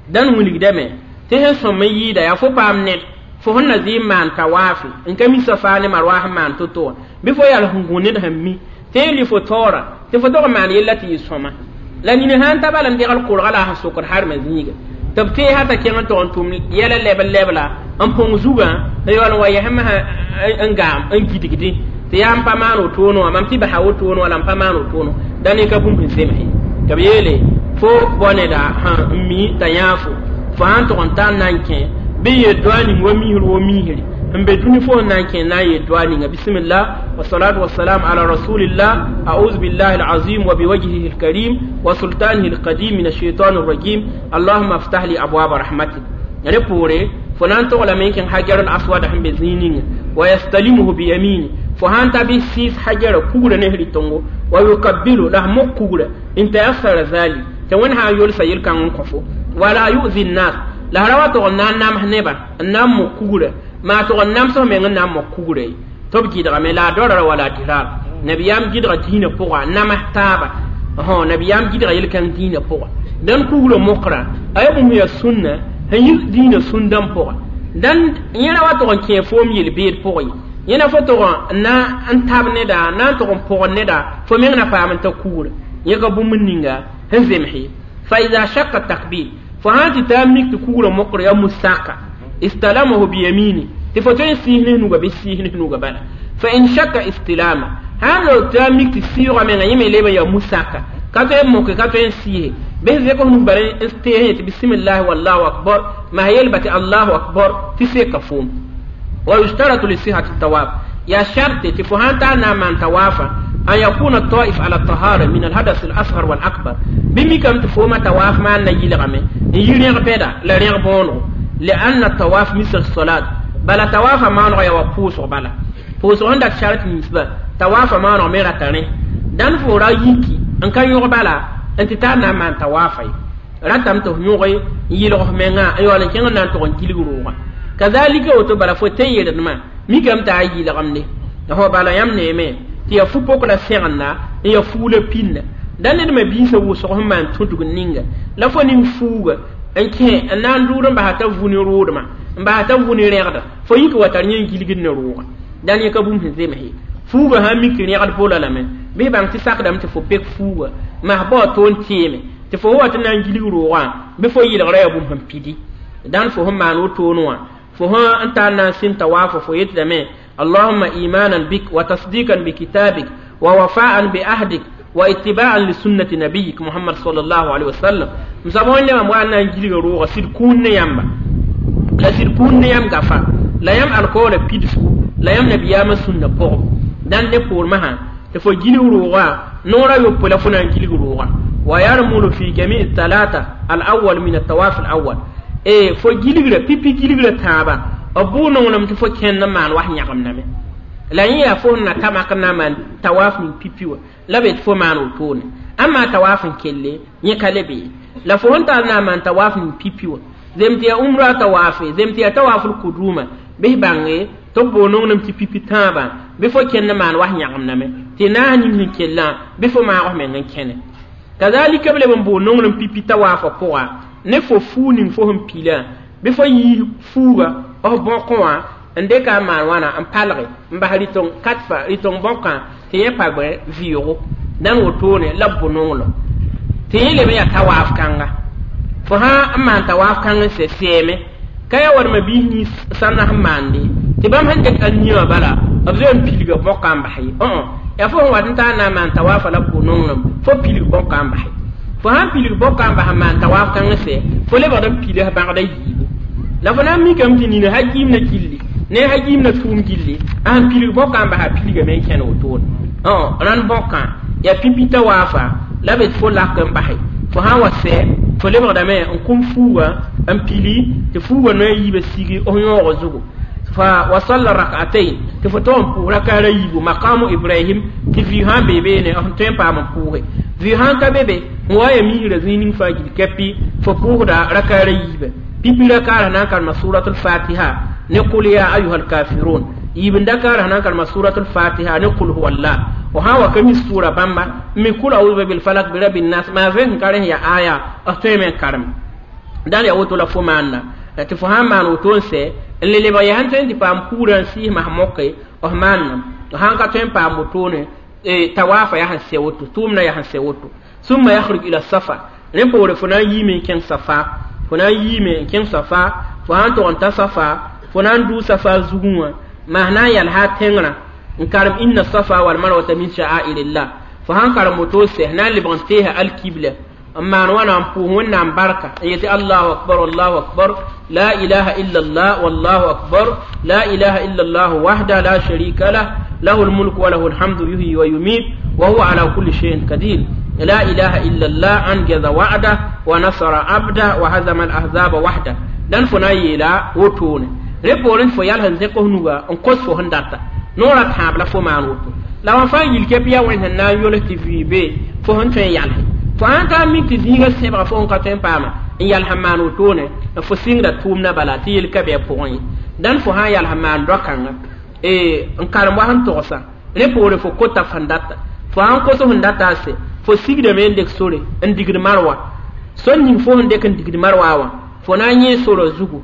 dãn wilgdame tɩ sẽn sõm n yɩɩda yaa fo paam ned fo sẽn na zɩ n maan tawaafe n ka mi safa ne marwah n maan to-to wã bɩ fo yaa sẽn gũ ned sẽn mi tɩ y lʋ fo taoora tɩ fo tog n maan yella tɩ yɩ sõma la nina sãn ta bala n degl korga la a sẽn sokd harmã zĩiga tɩ b teesa t'a kẽng n tog n tʋm yɛla lɛb la n põng zugã n yaool n wa yɛsẽ masã n gaam n gidgdẽ tɩ yaa n pa maan wotone wã mam tɩ basa wotone wã la n pa maan wotone da ne ka bũmb sẽn zemse tɩ b yeele fo bao neda sã n mi t'a yãa fo fo sã n tog n tar n na n kẽ bɩ yel doa ning wa misr wo misri n be dũni fo sẽn na n kẽ na n yel doa ninga bisimillah wasalatu wasalam ala rasulillah a'udhu billahi alazim wa biwajhihi alkarim wa sultanihi alqadim min alshaitan arrajim allahumma aftah li abwaba rahmatik rẽ poore fo na n toglame n kẽng hajar al aswad sẽn be zĩig ninga wa yastalimuhu biyamini fo sãn ta bɩ sɩɩs hajara kugrã ne rɩtongo wa yukabbilu la f mok kugrã n tayassara zalik tɩ wẽnd sã n yolsa yel-kãng n kõ fo wala yu'zi nnas la ra wa tog n na n nams nebã n na n mok kugrã maa tog n nams f meng n na n mok kugrã ye tɩ b gɩdgame la a dorara wala dirar nabiyaam gɩdga dĩinã pʋga namas taaba nabiyaam gɩdga yel-kãng dĩinã pʋga dãn kugrã mokra a yaa bũmb yaa sũnna sẽn yi dĩinã sũndã pʋga dãn yẽra wa tog n kẽ foom yel-beed pʋgẽ ye yẽna fo tog n na n tab neda na n tog n pʋgd neda fo meng na paam n ta kugrã yẽ ka bũmb ninga sẽn zemse fa ida shakka takbir fo sãn tɩ taa mik tɩ kugrã mokr yaa musaka istalamahu biyamini tɩ fo tõe n sɩɩs ne nuga bɩ sɩɩs ne nuga bala fa in shakka istilama sãn lo tɩ a mik tɩ sɩɩgã menga yẽ me leb n yaa musaka ka tõe n moke ka tõe n sɩɩse bɩ zek f nug bara n tees yẽ tɩ bisimillahi wallahu akbar maa yelba tɩ allahu akbar tɩ seka foom wa yushtaratu lisihati tawaf yaa sharte tɩ fo sãn taa na n maan tawaafa an yakuna taif ala tahara min alhadas alasghar walakbar bɩ mikame tɩ fooma tawaaf maan na yɩlgame n yi rẽg bɛda la rẽg bõonego lianna tawaf misl salat bala tawaafã maaneg yaa wa pʋʋsg bala pʋʋsg sẽn dat shart ninsba tawaafã maaneg me rata rẽ dãn fo ra yiki n ka yõg bala n tɩ taa na n maan tawaafa ye ratame tɩ f yõge n yɩlg f mengã n yaool n kẽng n na n tog n gilg roogã kazalika woto bala fo tẽ yeeldmã mikame tɩ a yɩlgemde fo bala yãmb neeme tɩ yaa fu-pok la sẽgenda n yaa fuug la pinda da ned me biisã wʋsg sẽn maan tũdg ninga la fo ning fuuga n kẽ n na n dʋʋd n basa t'a vu ne roodmã n basa t'a vu ne rẽgda fo yik wa tar yẽ n gilgd ne roogã dãn yẽ ka bũmb sẽn zemse fuuga sã n mik rẽgd bola lame bɩ bãng tɩ sakdame tɩ fo pek fuuga mas bao toon teeme tɩ fo wa tɩ na n gilg roogã bɩ fo yɩlgrã yaa bũmb sẽn pidi dãn fo sẽn maan wotone wã fo sẽn n tar na n sɩn tawaafa fo yetdame اللهم إيمانا بك وتصديقا بكتابك ووفاء بعهدك واتباعا لسنة نبيك محمد صلى الله عليه وسلم مسابون لما موانا نجيل روغا سيد كون يamba la sɩd kũun ne yãmb gafa la yãmb alkoora pidsgu la yãmb nabiyaamã sũnna pʋgẽ dãn ne poor masã tɩ fo gilg roogã noorã yopoe la fo na n gilg roogã wa yarmulu fi jami talata al awal min atawaf al awal e fo gilgra pipi gilgra tãaba b bʋ nonglem tɩ fo kẽnd n maan was yãgemdame la yẽ yaa fo na ta mak na maan tawaaf ning pipi wã la be tɩ fo maan wotone ãmma tawaaf n kelle yẽ ka le bee la fo sẽn tar na n maan tawaaf ning pipi wã zem tɩ yaa umra tawaafe zem tɩ yaa tawaafl kuduma bɩ bãnge tɩ b boo nonglem tɩ pipi tãabã bɩ fo kẽnd n maan was yãgemdame tɩ naas ning sẽn kellã bɩ fo maag f meng n kẽne kazalika b leb n boo nonglem pipi tawaafã pʋga Ne fo fuu ning fo sẽn pilã bɩ fo yiis fuuga f bõkẽ wã n dɩka n maan wãna n palge n bas rɩtong katfa rɩtong bõkã tɩ yẽ pa gbẽ vɩʋʋgo dãn wotone la b bʋ-nonglem tɩ yẽ leb n yaa tawaaf kãnga fo sã n maan tawaaf kãng n sɛ sɛɛme ka yaa wadma biis nins sãnna sẽn maande tɩ bãmb sẽn dɩk a-niã wã bala b zoe n pilga bõkã n bas ye yaa fo sẽn wat n taa na n maan tawaafa la b bʋ-nonglem fo pilg bõkã n bas fo sãn pilg bõkã n bas n maan tawaaf kãng n sɛ fo lebgd n pils bãgda yiibu la fo na n mikame tɩ nina hakiim na gilli ne hakiim na tʋʋm gilli a sẽn pilg bõkã n bas a pilgame n kẽn wotone rãnd bõkã yaa pipi tawaafa la be tɩ fo lak n base fo sã n wa sɛ fo lebgdame n kũm fuuga n pili tɩ fuuga noya yiibã sigi f yõogo zugu fa wa salla rak'atayn tɩ fo tog n pʋʋs rakaara yiibu maqamu ibrahim tɩ vɩ sã n bee beene f tõe n paam n pʋʋse vɩ sã n ka be be n wa ya misrã zĩig ning fãa gil kɛpɩ fo pʋʋsda rakaara yiibã pipi rakaara na n karema suratul fatiha ne qul ya ayuha alkafirun yiib n dakaara na n karema suratul fatiha ne qul huwa allah fo sã n wa ka mi sʋʋra bãmba n mi kul auzu bil falak bi rabin nas maa vẽ sẽn ka rẽ ya aya f tõeme n karem dãn yaa woto la fo maanda tɩ fo sã n maan woto n sɛ n le lebg yaa sẽn tõe n tɩ paam kuurã n sɩɩsmã moke f maannam sã n ka tõe n paam wotone tawaafa yaa sẽn sɛ woto tʋʋmdã yaa sẽn sɛ woto summa yakhruj ila safa rẽ poore fo na n yiime n kẽng safa fo na n yiime n kẽng safa fo sã n tog n ta safa fo na n dʋʋ safa zugẽ wã maa na n yalsa tẽngrã n karem inna safa wal marwata min sha'airillah fo sãn karem woto sɛ na n lebg n teesa alkibla n maan wãna n pʋʋs wẽnnaam barka n yetɩ allahu akbar allahu akbar la ilaha illa allah wallahu akbar la ilaha illa allah wahda la sharika lah lahu lmulk wa lahu lhamdu yuhyi wa yumit wa huwa ala kulli shay'in qadir la ilaha illa allah anjaza wa'da wa nasara abda wa hazama al-ahzaba wahda dan fo na n yeela wotone rẽ poorẽ fo yals n zẽk f nuga n kos fo sẽn data noorã tãab la fo maan woto la wã fãa yil kɛp yaa wẽnd sẽn na n yols tɩ vɩɩ be fo sẽn tõe n yalse fo sãn taa mik tɩ zĩigã sẽbga fo sẽn ka tõe n paama n yals n maan wotone fo sɩngda tʋʋmdã bala tɩ yel ka bɩ a pʋgẽ ye dãn fo sã n yals n maan doa-kãnga n karem wa sẽn togsa rẽ poore fo kota sẽn data fo sãn kos sẽn data a sɛ fo sigdame n dek sore n digd marwa sor ning fo sẽn dek n digd marwa wã fo na n yẽ sorã zugu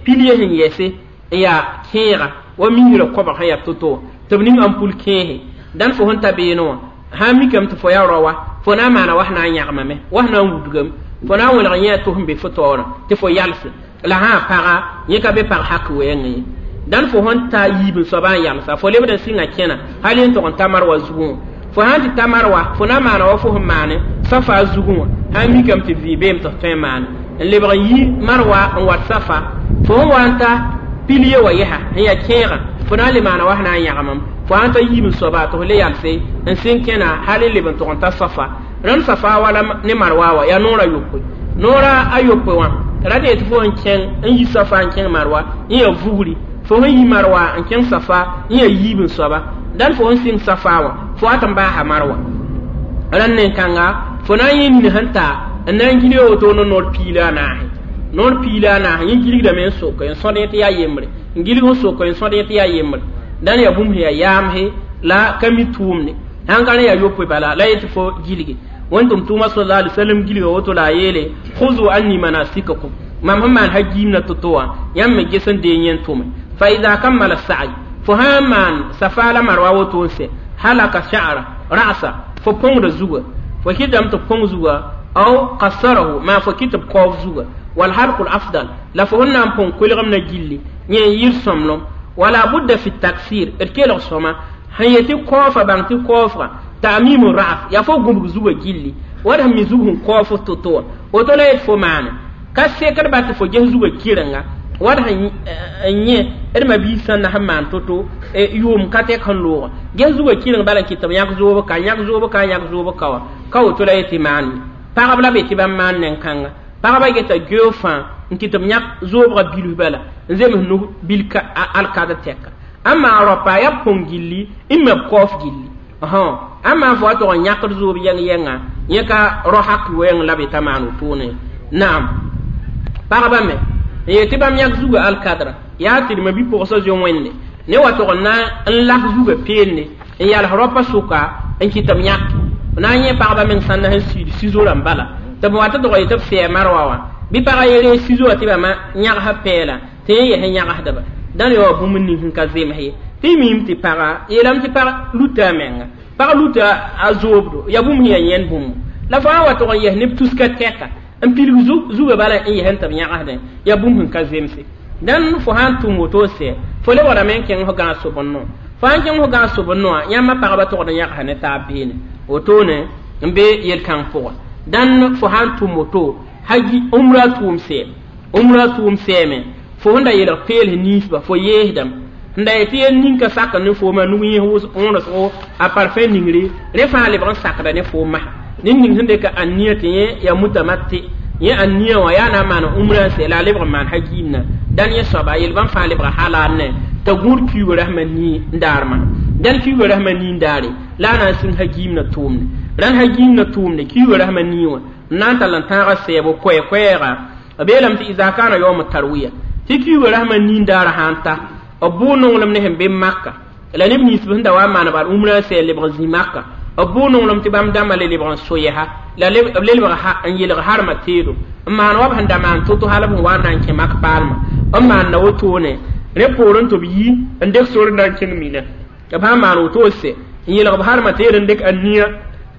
pilie sẽn yɛse n yaa kẽega wa misrã koabg sẽn yaa to-to tɩ b ning ampul kẽese dãn fo sẽn ta beene wã sã n mikame tɩ fo yaa rao wa fo na n maana wa sẽn na n yãgemame wa sẽn na n wudgame fo na n welg yẽ a tʋs n be fo taoorã tɩ fo yalse la sã n paga yẽ ka be pag hak wɛɛngẽ ye dãn fo sẽn ta yiib n soabã n yalsa fo lebd n sɩnga kẽna hal n tog n ta marwa zugẽ wã fo sãn tɩ ta marwa fo na n maana wa fo sẽn maane safa zugẽ wã sã n mikame tɩ vɩ beem tɩ f tõe n maane n lebg n yi marwa n wat safa fo sẽn wa n ta pilie wa yɛsa n yaa kẽegã fo na n le maana wa sẽn na n yãgemam fo sãn ta yiib n soaba tɩ fo le yalse n sẽn kẽna hal n leb n tog n ta safa rãnd safa wala ne marwa wa yaa noor a yopoe noora a yopoe wã ra tɩ tɩ fo sẽn kẽng n yi safa n kẽng marwa n yaa vugri fo sẽn yi marwa n kẽng safa n yaa yiib n soaba dãn fo sẽn sɩng safa wã fo wat n baasa marwa rãnd nen-kãnga fo na n yẽ nin sẽn ta n na n gilg woto ne noor piila a naase noor piila a naase yẽ gilgdame n soka n sõd yẽ tɩ yaa yembre n gilg n soka n sõd yẽ tɩ yaa yembre dãn yaa bũmb sẽn yaa yaamse la ka mi tʋʋmde sãn ka rẽ yaa yopoe bala la yetɩ fo gilge wẽn-tʋm tʋʋma sala alai wasallam gilga woto la a yeele khuzu anni manasikakum mam sẽn maan hagiimna to-to wã yãmb me ges n dee yẽn tʋme fa ida kammala sa'i fo sã n maan safa la marwa woto n sɛ halaka sha'ra ra'sa fo põngda zuga fo kɩtame tɩ põng zuga aw qassarahu maa fo kɩ tɩ b kaoob zuga wal halqu afdal la fo sẽn na n põng kolgem na gilli yẽ n yir sõmblem wala budda fi taksir d kelg sõma sẽn yetɩ kaoofa bãng tɩ kaoofga ta'mimu ra'as yaa fo gũbg zuga gilli wad sẽn mi zug sẽn kaoog fo to-to wã woto la yet fo maane ka sekd ba tɩ fo ges zuga kɩrenga wad sẽn yẽ d mabiis sẽn na sẽn maan to-to yʋʋm ka tɛk sẽn looga ges zuga kɩreng bala n kɩt tɩ b yãk zoob ka yãk zoob ka yãk zoob ka wã ka woto la yetɩ maan ye pagb la be tɩ bãmb maan nen-kãnga pagba geta geo fãa n kɩt b yãk zoobga bilf bala n zems nug bil alkad tɛka ãmma rapa yaa põng gilli n me b kaoof gilli ãmma fo wa tog n yãkd zoob yɛng-yɛngã yẽ ka ro hak wɛɛng la b t'a maan wotone naam pagba me n yetɩ bãmb yãk zuga alkadra yaa tɩ d ma bi-pʋgsã zoe wẽnde ne wa tog n na n lak zuga peende n yals raopa sʋka n kɩt b yãk na n yẽ pagba meng sãnda sẽn siid sizo rãmb bala tɩ b wa tɩ tog yetɩ b sɛɛ marwa wã Bɩ pagã ye sizo tɩ bãmba yãgsã pɛɛla tɩ yẽ yɛs n yãgsdba dãn yaa bũmb ning sẽn ka zems ye tɩ miime tɩ pagã yeelame tɩ pag luta a menga pag luta a zoobdo yaa bũmb sẽn yaa yẽnd bũmb la fo sã wa tog n yɛs neb tuska tɛka n pilg zugã bala n yɛs n tɩ b yãgsdẽ yaa bũmb sẽn ka zemse dãn fo sã n tʋm woto sɛ fo lebgdame n kẽng fo gãag sob-n-no fo sã n kẽng fo gãag sob-n-noã yãmba pagba togd n yãgsa ne taab beene wotone n be yel-kãng pʋgã dãn fo sã n tʋm woto haji umra tʋʋm sɛɛm umra tʋʋm sɛɛme fo sẽn da yelg peels ninsba fo yeesdame n da yetɩ yel ning ka sak ne fooma nug yẽ wõnesgo a parfum ningre rẽ fãa lebg n sakda ne foom masã ned ning sẽn dɩka ania tɩ yẽ yaa mutamatti yẽ ania wã yaa na n maan umrã n sɛ la a lebg n maan hajiimna dãn yẽ soaba yel bãmb fãa lebga halal ne t'a gũud kiuugã rasmã nii n daar masã dãn kiuugã rasmã nii n daare la a na n sĩng hajiimna tʋʋmde rãn hajiimna tʋʋmde kiuugã rasmã nii wã n na n tall n tãaga sɛɛbo koɛɛ-koɛɛga b yeelame tɩ iza kana yawm tarwiya tɩ kiuugã rasmã nii n daara sã n ta b bʋʋ nonglem ne sẽn be Maka la neb nins sẽn da wa n maan bal umrã n sɛ lebg n zĩ Maka b bʋʋ nonglem tɩ bãmb dãmbã le lebg n so-yɛsa la b lebg n yelg harmã teedo n maan wa b sẽn da maan to-to hal b sẽn wa n na n kẽ mak paalmã n maanda wotone rẽ poorẽ tɩ b yi n dɩk sor na n kẽng mina b sã n maan woto sɛ n yelg b harmã teed n dɩk ania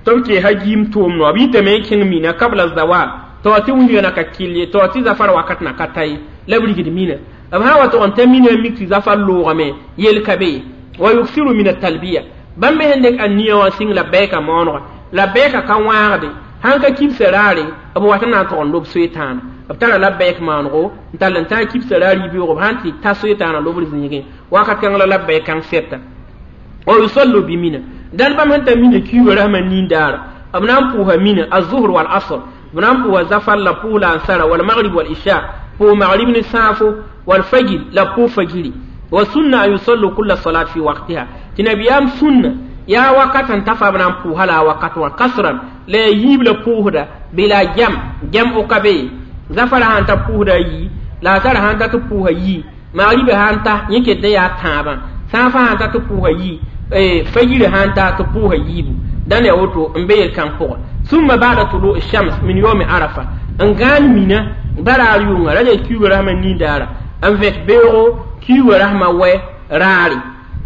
tɩ b kee hajiim tʋʋm noa b yitame n kẽng mina kabla zawal tɩ wa tɩ wilga na ka kɩl ye tɩ wa tɩ zafar wakat na ka ta ye la b rigd mina b sã wa tʋg n ta mina n mik tɩ zafar loogame yel ka be ye wa yuksiru min atalbiya bãmb me sẽn dɩk ania wã sɩng labɛɛka maonega labɛɛka ka wãagde sãn ka kibsa raare b wat n na n tʋg n lob soe-tãana b tara labɛɛk maanego n tall n tãag kibsa raar yibeoogo b sãn tɩ ta soe-tãana lobr zĩigẽ wakat kãng la labɛɛk kãng sɛta wa yusallu bi mina dãn bãmb sẽn ta mina kiuugã rasmã nin-daara b na n pʋʋsa mina azuhr wal asr b na n pʋʋsa zafar la pʋʋs la ansara wal magrib wal isha pʋʋs magrib ne sãafo wal fajir la pʋʋs fajiri wa sunna an yusallu kulla salat fi waqtiha tɩ nabiyaam sunna yaa wakat n ta fa b na n pʋʋsa la a wakat wã kasran la ya yiib la pʋʋsda bila jam jam o ka be ye zafara sãn ta pʋʋsda a yii la a tara sãn ta tɩ pʋʋsa yii magribã sãn ta yẽ ket n yaa tãabã sãafã sãn ta tɩ pʋʋsa yii fajirã sãn ta tɩ pʋʋsa yiibu dãn yaa woto n be yel-kãng pʋgã summa ba'da tulu shams min yawmi arafa n gãan mina baraar yʋnga ra yaa kiuugã rasmã nin-daara n vẽk beoogo kiuugã rasmã wɛ raare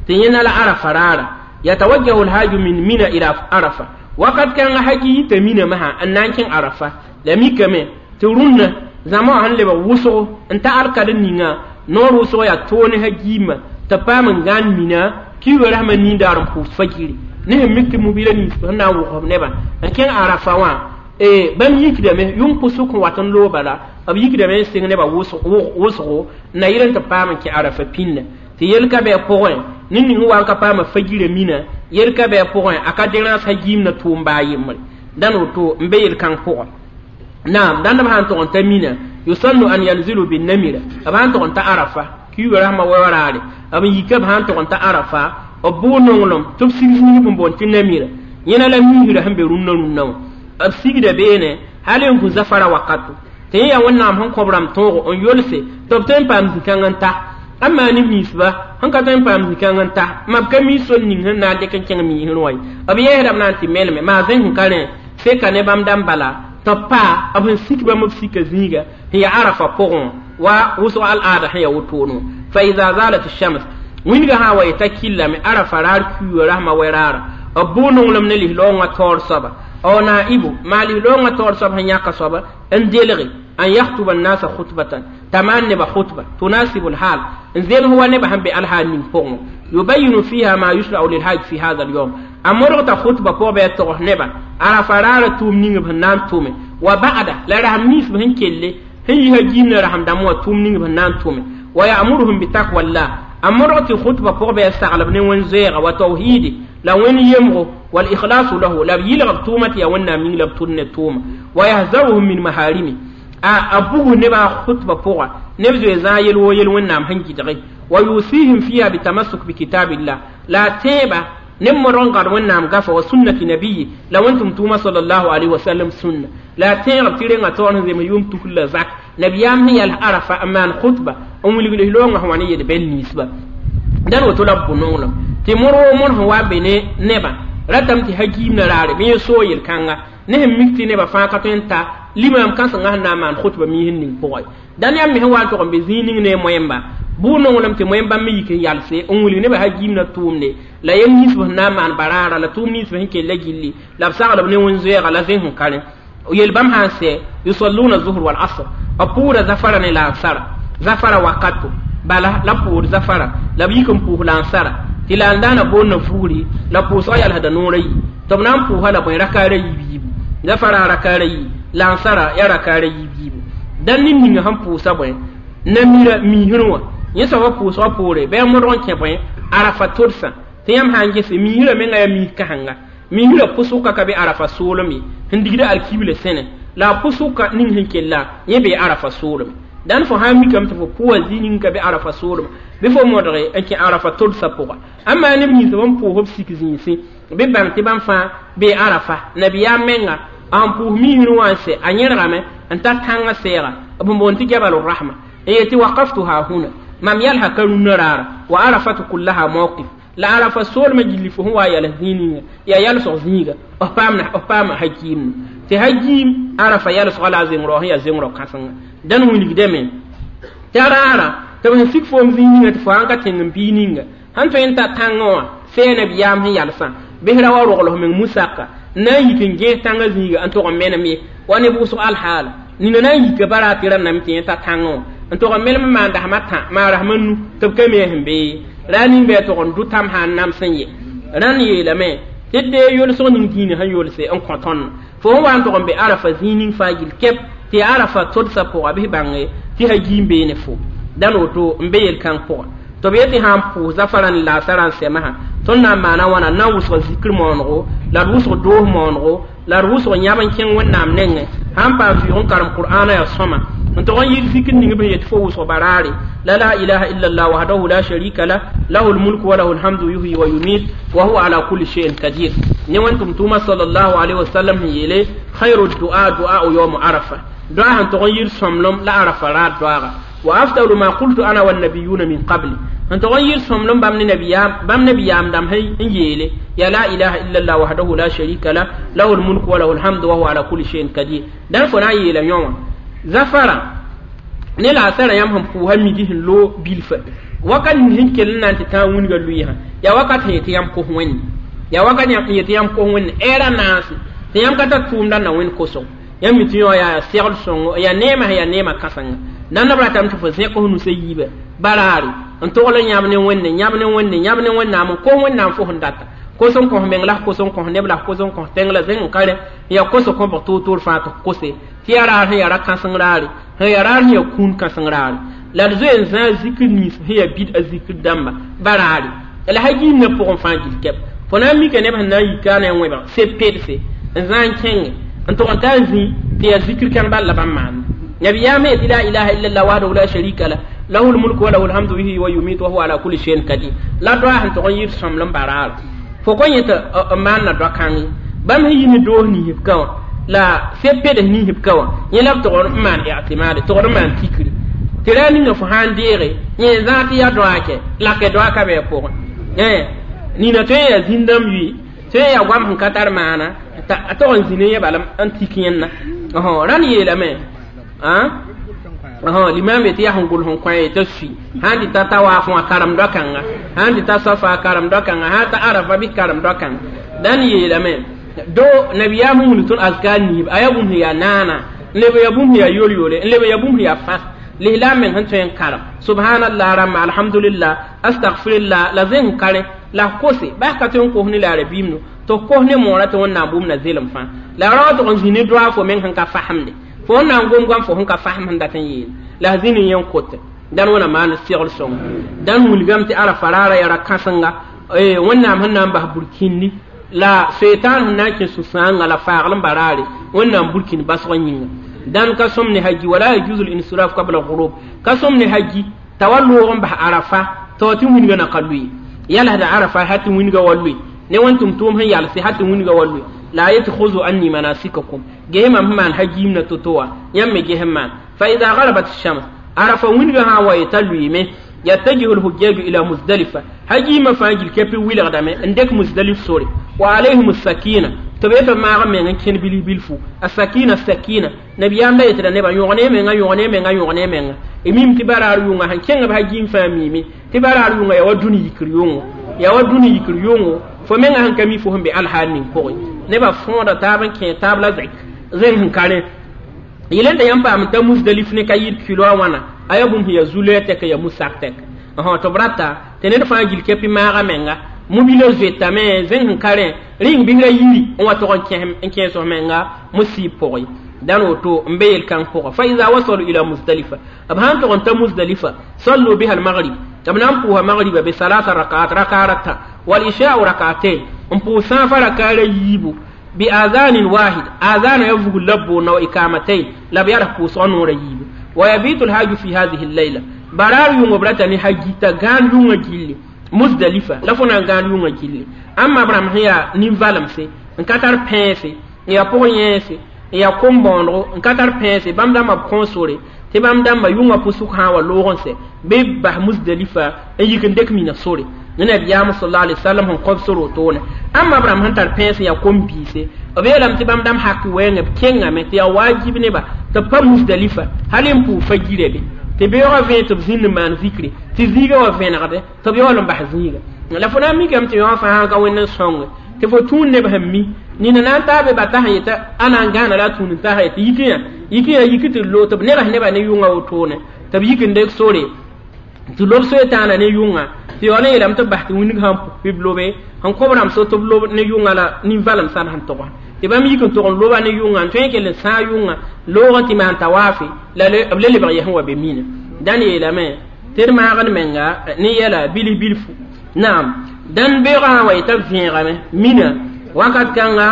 tɩ yẽna la arafa raara yatawajjahu lhaju min mina ila arafa wakat kãngã haji yita mina masã n na n kẽng arafa la mikame tɩ rũnnã zãma wã sẽn lebg wʋsgo n ta alkad ninga noor wʋsg yaa toone hajiimã tɩ paam n gãan mina kiuugã rasmã nin-daar n pʋʋs fajiri ne sẽn mik tɩ mobila nins sẽn na n wʋgsb nebã n kẽng arafa wã bãmb yikdame yʋng pʋsg n wat n loog bala b yikdame n sɩng nebã wʋsgo n na yɩl n tɩ paam n kẽ arafa pĩnda tɩ yel ka bɩ a pʋgẽ ned ning wa n ka paama fajirã mina yel ka bɩ a pʋgẽ a ka dẽrãs hajiimna tʋʋm baa yembre dãn woto n be yel-kãng pʋgã naam dãnd b sã n tog n ta mina yusannu an yanzilu binnamira b sã n tog n ta arafa kiuugã rasmã wa raare b n yika b sã n tog n ta arafa b bʋʋ nonglem tɩ b sig zĩig n boond tɩ namira yẽna la miisrã sẽn be rũnnã rũnnã wã b sigda beene hal n kũ zafara wakato tɩ yẽ yaa wẽnnaam sẽn kõ b rãmb tõogo n yolse tɩ b tõe n paam zĩ-kãng n ta a maan neb ninsba sẽn ka tõe n paam zĩ-kãng n ta ma b ka mi sor ning sẽn na n dɩk n kẽng miisrẽ wã ye b yɛɛsdame na n tɩ melme maa zẽn sẽn ka rẽ seka ne bãmb dãmb bala tɩ b paa b sẽn sik bãmb b sika zĩiga sẽn yaa arafa pʋgẽ wa wʋsg al-aada sẽn yaa wotone wã fa ida zalat shams wĩnga sã n wa yeta killame arafa raar kiuugã rasmã wɛ-raara b bʋʋ nonglem ne lislaoongã taoor soaba aw naibu maa lislaoongã taoor soab sẽn yãka soaba n delge an yaktuba nnasa khutbatan t'a maan nebã khutba tunasibu lhal n zems wa nebã sẽn be alhaal ning pʋgẽ yubayinu fiha ma yusrau lilhaj fi hada alyawm a modg t'a khutba pʋgã bɩ a togs nebã arafa raarã tʋʋm ning b sẽn na n tʋme wa ba'da la rasem nins b sẽn kelle sẽn yi hajiimna rasem dãmb wã tʋʋm ning b sẽn na n tʋme wa ya'muruhum bitaqwallah a modg tɩ khutba pʋgã bɩ a saglb ne wẽn-zoeega wa tawhidi la wẽn yemgo wal ikhlasu lahu la b yɩlg b tʋʋmã tɩ yaa wẽnnaam ning la b tʋd ne tʋʋma wa yahzaruhum min maharimi a bugu nebã khutba pʋga neb zoe zãag yel woo yel wẽnnaam sẽn gɩdge wa yusihim fiha bitamassuk bikitabillah la a tẽeba neb modg n gãd wẽnnaam gafa wa sunnati nabiyi la wẽn-tʋm tʋʋma sallallahu alaihi wasallam sunna la a tẽegb tɩ renga taoor sẽn zems yʋʋm tus la zak nabiyaam sẽn yɛls arafa n maan khutba n wilg lislaoongã sẽn wa ne yel-bɛl ninsba dãn woto la b bʋ nonglem tɩ mõr woo mõr sẽn wa be ne nebã ratame tɩ hajiimna raare bɩ yẽ soog yel-kãnga Ne sẽn mik tɩ nebã fãa ka tõe n ta limam kãsenga sẽn na n maan khutba miis n ning pʋgẽ. Dãn yãmb me sẽn wa n tog n be zĩig ning ne moẽmba bʋʋ nonglem tɩ moẽm bãmb me yik n yalse n wilg nebã hajiimna tʋʋmde la yel ninsb sẽn na n maan baraara la tʋʋm ninsb sẽn kella gilli la b saglb ne wẽn-zoɛɛga la zẽs sẽn ka rẽ yel bãmb sã n sɛ yusalluna zuhr wal asr b pʋʋda zafara ne la ansara zafara wakato bala la pʋʋd zafara la b yik n pʋʋs la ansara tɩ la n daana boonna fugri la pʋʋsgã yalsda noor a yi tɩ b na n pʋʋsa la bõe rakaara yiib yiibu zafara rakaara yi la ansara ya rakaara yiib yiibu dãn ned ninga sẽn pʋʋsa bõe namira miisrẽ wã yẽ soabã pʋʋsgã poore bɩ a modg n kẽ bõe arafa todsã tɩ yãmb sã n gese miisrã menga yaa miis kãsenga miisrã pʋsʋka ka be arafa soolem ye sẽn digda alkibla sẽne la a pʋsʋka ning sẽn kella yẽ bee arafa soolem dãn fo sã n mikame tɩ fo pʋʋa zĩig ning ka be arafa soolem bɩ fo modge n kẽ arafa todsã pʋga amaa neb nins b n pʋʋs b sik zĩnsẽ bɩ bãng tɩ bãmb fãa bee arafa nabiyaam menga n pʋʋs miisrẽ wã n sɛ a yẽrgame n ta tãngã sɛɛga b boond tɩ jabal rahma n yetɩ waqaftuha huna mam yalsa ka rũnnã raara wa arafatu kullaha mawqif la arafa soolmã gilli fo sẽn wa yals zĩig ninga yaa yalsg zĩiga b paama hakiimne tɩ hakiim arafa yalsga la a zẽng-rao sẽn yaa zẽng-rao kãsenga dãn wilgdame tɩ a raara tɩ b sẽn sik foom zĩig ninga tɩ fo sãn ka tẽng n bii ninga sẽn tõe n ta tãngã wã sɛɛ nabiyaam sẽn yalsã bɩs ra wa rogls meng musaka n na n yik n gẽes tãngã zĩiga n tog n menem ye wa ne bʋʋsg alhaala nina na n yika bara tɩ rãnname tɩ yẽ ta tãngã wã n tog n melem n maan dasma tã maan rasma nu tɩ b ka me sẽn bee ra ning bɩ a tog n dʋ tãm sã n nams n ye rãnd yeelame tɩ d dee yolsg ning dĩinã sẽn yolse n kõ tõnd fo sẽn wa n tog n be arafa zĩig ning fãa gill kɛp tɩ arafa todsã pʋga bɩ bãnge tɩ hagiim bee ne fo dãn woto n be yel-kãng pʋga tɩ b yetɩ sã n pʋʋs zafara ne laasara n sɛmsã tõnd na n maana wãna n na n wʋsg zikr moonego la d wʋsg doos moonego la d wʋsg yãb n kẽng wẽnnaam nengẽ sã n paam vɩʋg n karem qur'aana yaa sõma n tog n yɩl zikr ning b sẽn yet fo wʋsg baraare la la ilaha illa allah wahdahu la sharika lah lahu lmulku wa lahu lhamdu yuhyi wa yumit wa huwa ala kulli shay'in qadir ne wẽn tʋm-tʋʋma sallallahu alaihi wasallam sẽn yeele khayru du'a du'a'u yawm arafa doa sẽn tog n yɩl sõmblem la arafa raad doaaga wa afdalu ma qultu ana wannabiyuna min qabli n tog n yɩl sõmblem bãmb ne nabiyaam dãmb n yeele ya la ilaha illa allah wahdahu la sharika lah lahu lmulku wa lahu lhamdu wa huwa ala kulli shay'in qadir dãn fo na n yeela yõ wã zafara ne la asara yãmb sẽn pʋʋsa midi sẽn loog bilfa wakat ning sẽn kell n na n tɩ tãag wĩnga lʋɩɩsã yaa wakat sẽn yetɩ yãmb kos wẽnde yaa wakat sẽn yetɩ yãmb kos wẽnde ɛɛra naase tɩ yãmb ka tar tʋʋmdã na wẽnd kosg yãmb mi tɩ yõ yaa segl sõngo yaa neemã sẽn yaa neemã kãsenga dãn b ratame tɩ fo zẽk f nusã yiibã baraare n togl n yãb ne wẽnde yãb ne wẽnde yãb ne wẽnnaam n kos wẽnnaam fo sẽn data kos n kõs meng la f kos n kõs neb la f kos n kõs tẽng la zẽng n ka rẽ n yaa kos kõbg toor-toor fãa tɩ f kose tɩ yaa raar sẽn yaa ra-kãseng raare sẽn yaa raar sẽn yaa kũun kãseng raare la d zoe n zãag zikr nins sẽn yaa bid a zikr dãmba baraare la hagiimnã pʋgẽ fãa gill kɛp fo na n mika neb sẽn na n yika ne a wẽbg se pedse n zãag n kẽnge n tog n tar zĩ tɩ yaa zikr kãng bal la bãmb maanda nabiyaam yetɩ la ilaha illallah wahdahu la sharika lah lahu lmulku wa lahu lhamdu yuhyi wa yumiit wa huwa ala kulli shay'in qadir la doa sẽn tog n yɩɩd sõmblem baraar fo kõ yẽ tɩ n maanna doa-kãng ye bãmb sẽn yi ne doos ninsb ka wã la se-pedes ninsb ka wã yẽ la b togd n maan i'timaade togd n maan tikri tɩ ra ninga fo sã n deege yẽ zãag tɩ yaa doa kɛ lake doa ka bɩ a pʋgẽ nina tõe n yaa zĩn-dãmb yʋɩ tõe n yaa goam sẽn ka tar maana a tog n zĩ ne yẽ bala n tik yẽnna rãnd yeelame limam yetɩ yaa sẽn gʋls n kõ t'a sui sãn tɩ ta tawaaf wã karem doa-kãnga sãn tɩ ta safa karem doa-kãnga sãn ta arafa bɩ karem doa-kãnga dãn yeelame do nabiyaam sẽn wilg tõnd azkar niisb a yaa bũmb sẽn yaa naana n leb yaa bũmb sẽn yaa yol-yole n leb yaa bũmb sẽn yaa fas lislaam meng sẽn tõe n karem subhanallah rãmba alhamdulillah astagfirullah la zẽng ka rẽ la f kose bas ka tõe n kos ne la rabiimnu tɩ f kos ne moorã tɩ wẽnnaam bũmb na zelem fãa la ra wa tʋg n zĩ ne doa fo meng sẽn ka fasemde fo sẽn na n gom goam fo sẽn ka fasem sẽn dat n yeel la f zĩ ne yẽ n kote dãn wẽna maan segl sõngo dãn wilgame tɩ arafa raara yaa ra-kãsenga wẽnnaam sẽn na n bas burkĩndi la setan sẽn na n kẽ sũ-sãanga la faagl n baraare wẽnnaam burkĩnd basg yĩnga dãn ka sõm ne haji wala yajuzu linsiraf qabla ghurub ka sõm ne haji t'a wa loog n bas arafa t'a wa tɩ wĩnga na ka lʋɩ yalsda arafa ha tɩ wĩnga wa lʋɩ ne wẽn tʋm-tʋʋm sẽn yalse ha tɩ wĩnga wa lʋɩ la yetɩ khuzu anni manasikakum ges mam sẽn maan hajiimna to-to wã yãmb me ges n maan fa ida garabat shams arafa wĩnga sã n wa yet'a lʋɩɩme yattajihu lhujjaju ila muzdalifa hajiimã fãa gil kɛpɩ wilgdame n dek muzdalif sore wa alayhim sakina Tɩ b yetɩ b maag meng n kẽnd bilf bilfu a sakina sakina nabiyaam la yetɩda nebã yõgne menga yõgne menga yõgne menga y mim tɩ baraar yʋnga sẽn kẽng b hagiim fãa miime tɩ baraar yʋnga yaa wa dũni yikr yʋngo yaa wa dũni yikr yʋngo fo menga sẽn ka mi fo sẽn be alhaal ning pʋgẽ nebã fõoda taab n kẽ taab la zẽk zẽng sẽn ka rẽ yel n da yãmb paam t'a Musdalif ne ka yɩd kilo a wãna a yaa bũmb sẽn yaa zu-loɛɛ tɛk yaa musak tɛk tɩ b rata tɩ ned fãa gil kɛpɩ maaga menga mobila zoetame zẽng sẽn ka rẽ rĩng bisra yiri n wa tog n kẽes f menga musib pʋgẽ dãn woto n be yel-kãng pʋgã fa ida wasalu ila Musdalifa b sãn tog n ta Musdalifa sallu biha almagrib tɩ b na n pʋʋsa magriba be salasa rakaat rakaar ata wal isha'u rakaatain n pʋʋs sãafã rakaara yiibu bi azanin wahid azana ya vugl la boonna wa ikamatayn la b yals pʋʋsgã noora yiibu wa yabitu lhaju fi hadihi llayla baraar yʋngo b rata ne hagita gãan yʋngã gilli Musdalifa la fo na n gãan yʋngã gilli ãmba b rãmb sẽn yaa nin-valemse n ka tar pẽese n yaa pʋg-yẽese n yaa kom-bõonego n ka tar pẽese bãmb dãmbã b kõ sore tɩ bãmb dãmbã yʋngã pʋsg sã n wa loog n sɛ bɩ b bas Musdalifa n yik n dɩk mina sore ne nabiyaam sallallahu alaihi wasallam sẽn kõb sor wotone ãmba b rãmb sẽn tar pẽes n yaa kom-biise b yeelame tɩ bãmb dãmb hak wɛɛngã b kẽngame tɩ yaa wajib neba tɩ b pa Musdalifa hal n pʋʋg fa gira be tɩ beoogã vẽe tɩ b zĩnd n maan zikre tɩ zĩigã wa vẽnegde tɩ b yaool n bas zĩiga la fo na n mikame tɩ yõ fãa ka wẽnd n sõnge tɩ fo tũud neb sẽn mi nina na n taa be ba tasa yetɩ a na n gãana la a tũud n tasa yetɩ yik yã yik tɩ lo tɩ b negs nebã ne yʋngã wotone tɩ b yik n dek sore tɩ lob soe tãana ne yʋngã tɩ yaool n yeelame tɩ b bas tɩ wĩndg sãn pʋ b lobe sẽn kõb rãmb so tɩ b lob ne yʋngã la nin-valemsã sẽn togsa tɩ bãmb yik n tog n loba ne yʋngã n tõe n kell n sãag yʋngã loog n tɩ maan tawaafe la b le lebg yɛsẽ wa be mina dãn yeelame tɩ d maagd menga ne yɛla bilf bilfu naam dãn beoogã sã n wa yetã b vẽegame mina wakat kãnga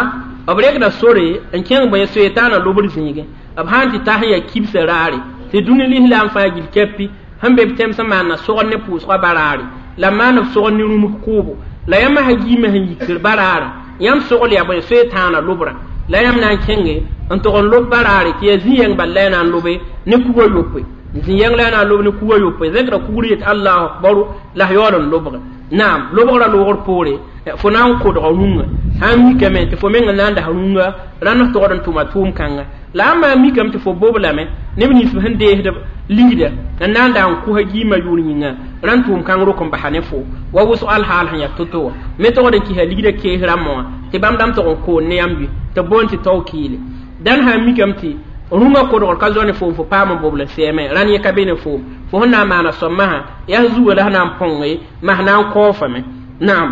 b rekda sore n kẽng bõe soe-taana lobr zĩigẽ b sãn tɩ tas n yaa kibsã raare tɩ dũni lislaam fãa gil kɛpi sẽn be b tẽms n maanna sogd ne pʋʋsgã baraare la maan b sogd ne rũms kʋʋbo la yãmb hagiimã sẽn yikr baraara yãmb sogl yaa bõe soe-tãana lobrã la yãmb na n kẽnge n tog n lob baraare tɩ yaa zĩ-yɛng bal la ya na n lobe ne kuga yopoe zĩ-yɛng la ya na n lob ne kuga yopoe zẽkra kugr yet allahu akbaru la s yaool n lobge naam lobgrã loogr poore fo na n kodga rũngã sã n mikame tɩ fo meng n na n das rũngã rãnd f togd n tʋma tʋʋm kãnga la ãmba n mikame tɩ fo bob lame neb nins sẽn deesd ligda n na n da n kʋsa giimã yʋʋr yĩnga rãnd tʋʋm kãng rok n basa ne fo wa wʋsg alhaal sẽn yaa to-to wã me togd n kɩsa ligda kees rãmbã wã tɩ bãmb dãmb tog n koon ne yãmb bɩ tɩ b boond tɩ tao kiile dãn sã n mikame tɩ rũngã kodgr ka zao ne foom fo paam n bobl n sɛɛme rãnd yẽ ka be ne foom fo sẽn na n maana soab masã yaa zuga la sẽn na n põnge mas na n kaoofame naam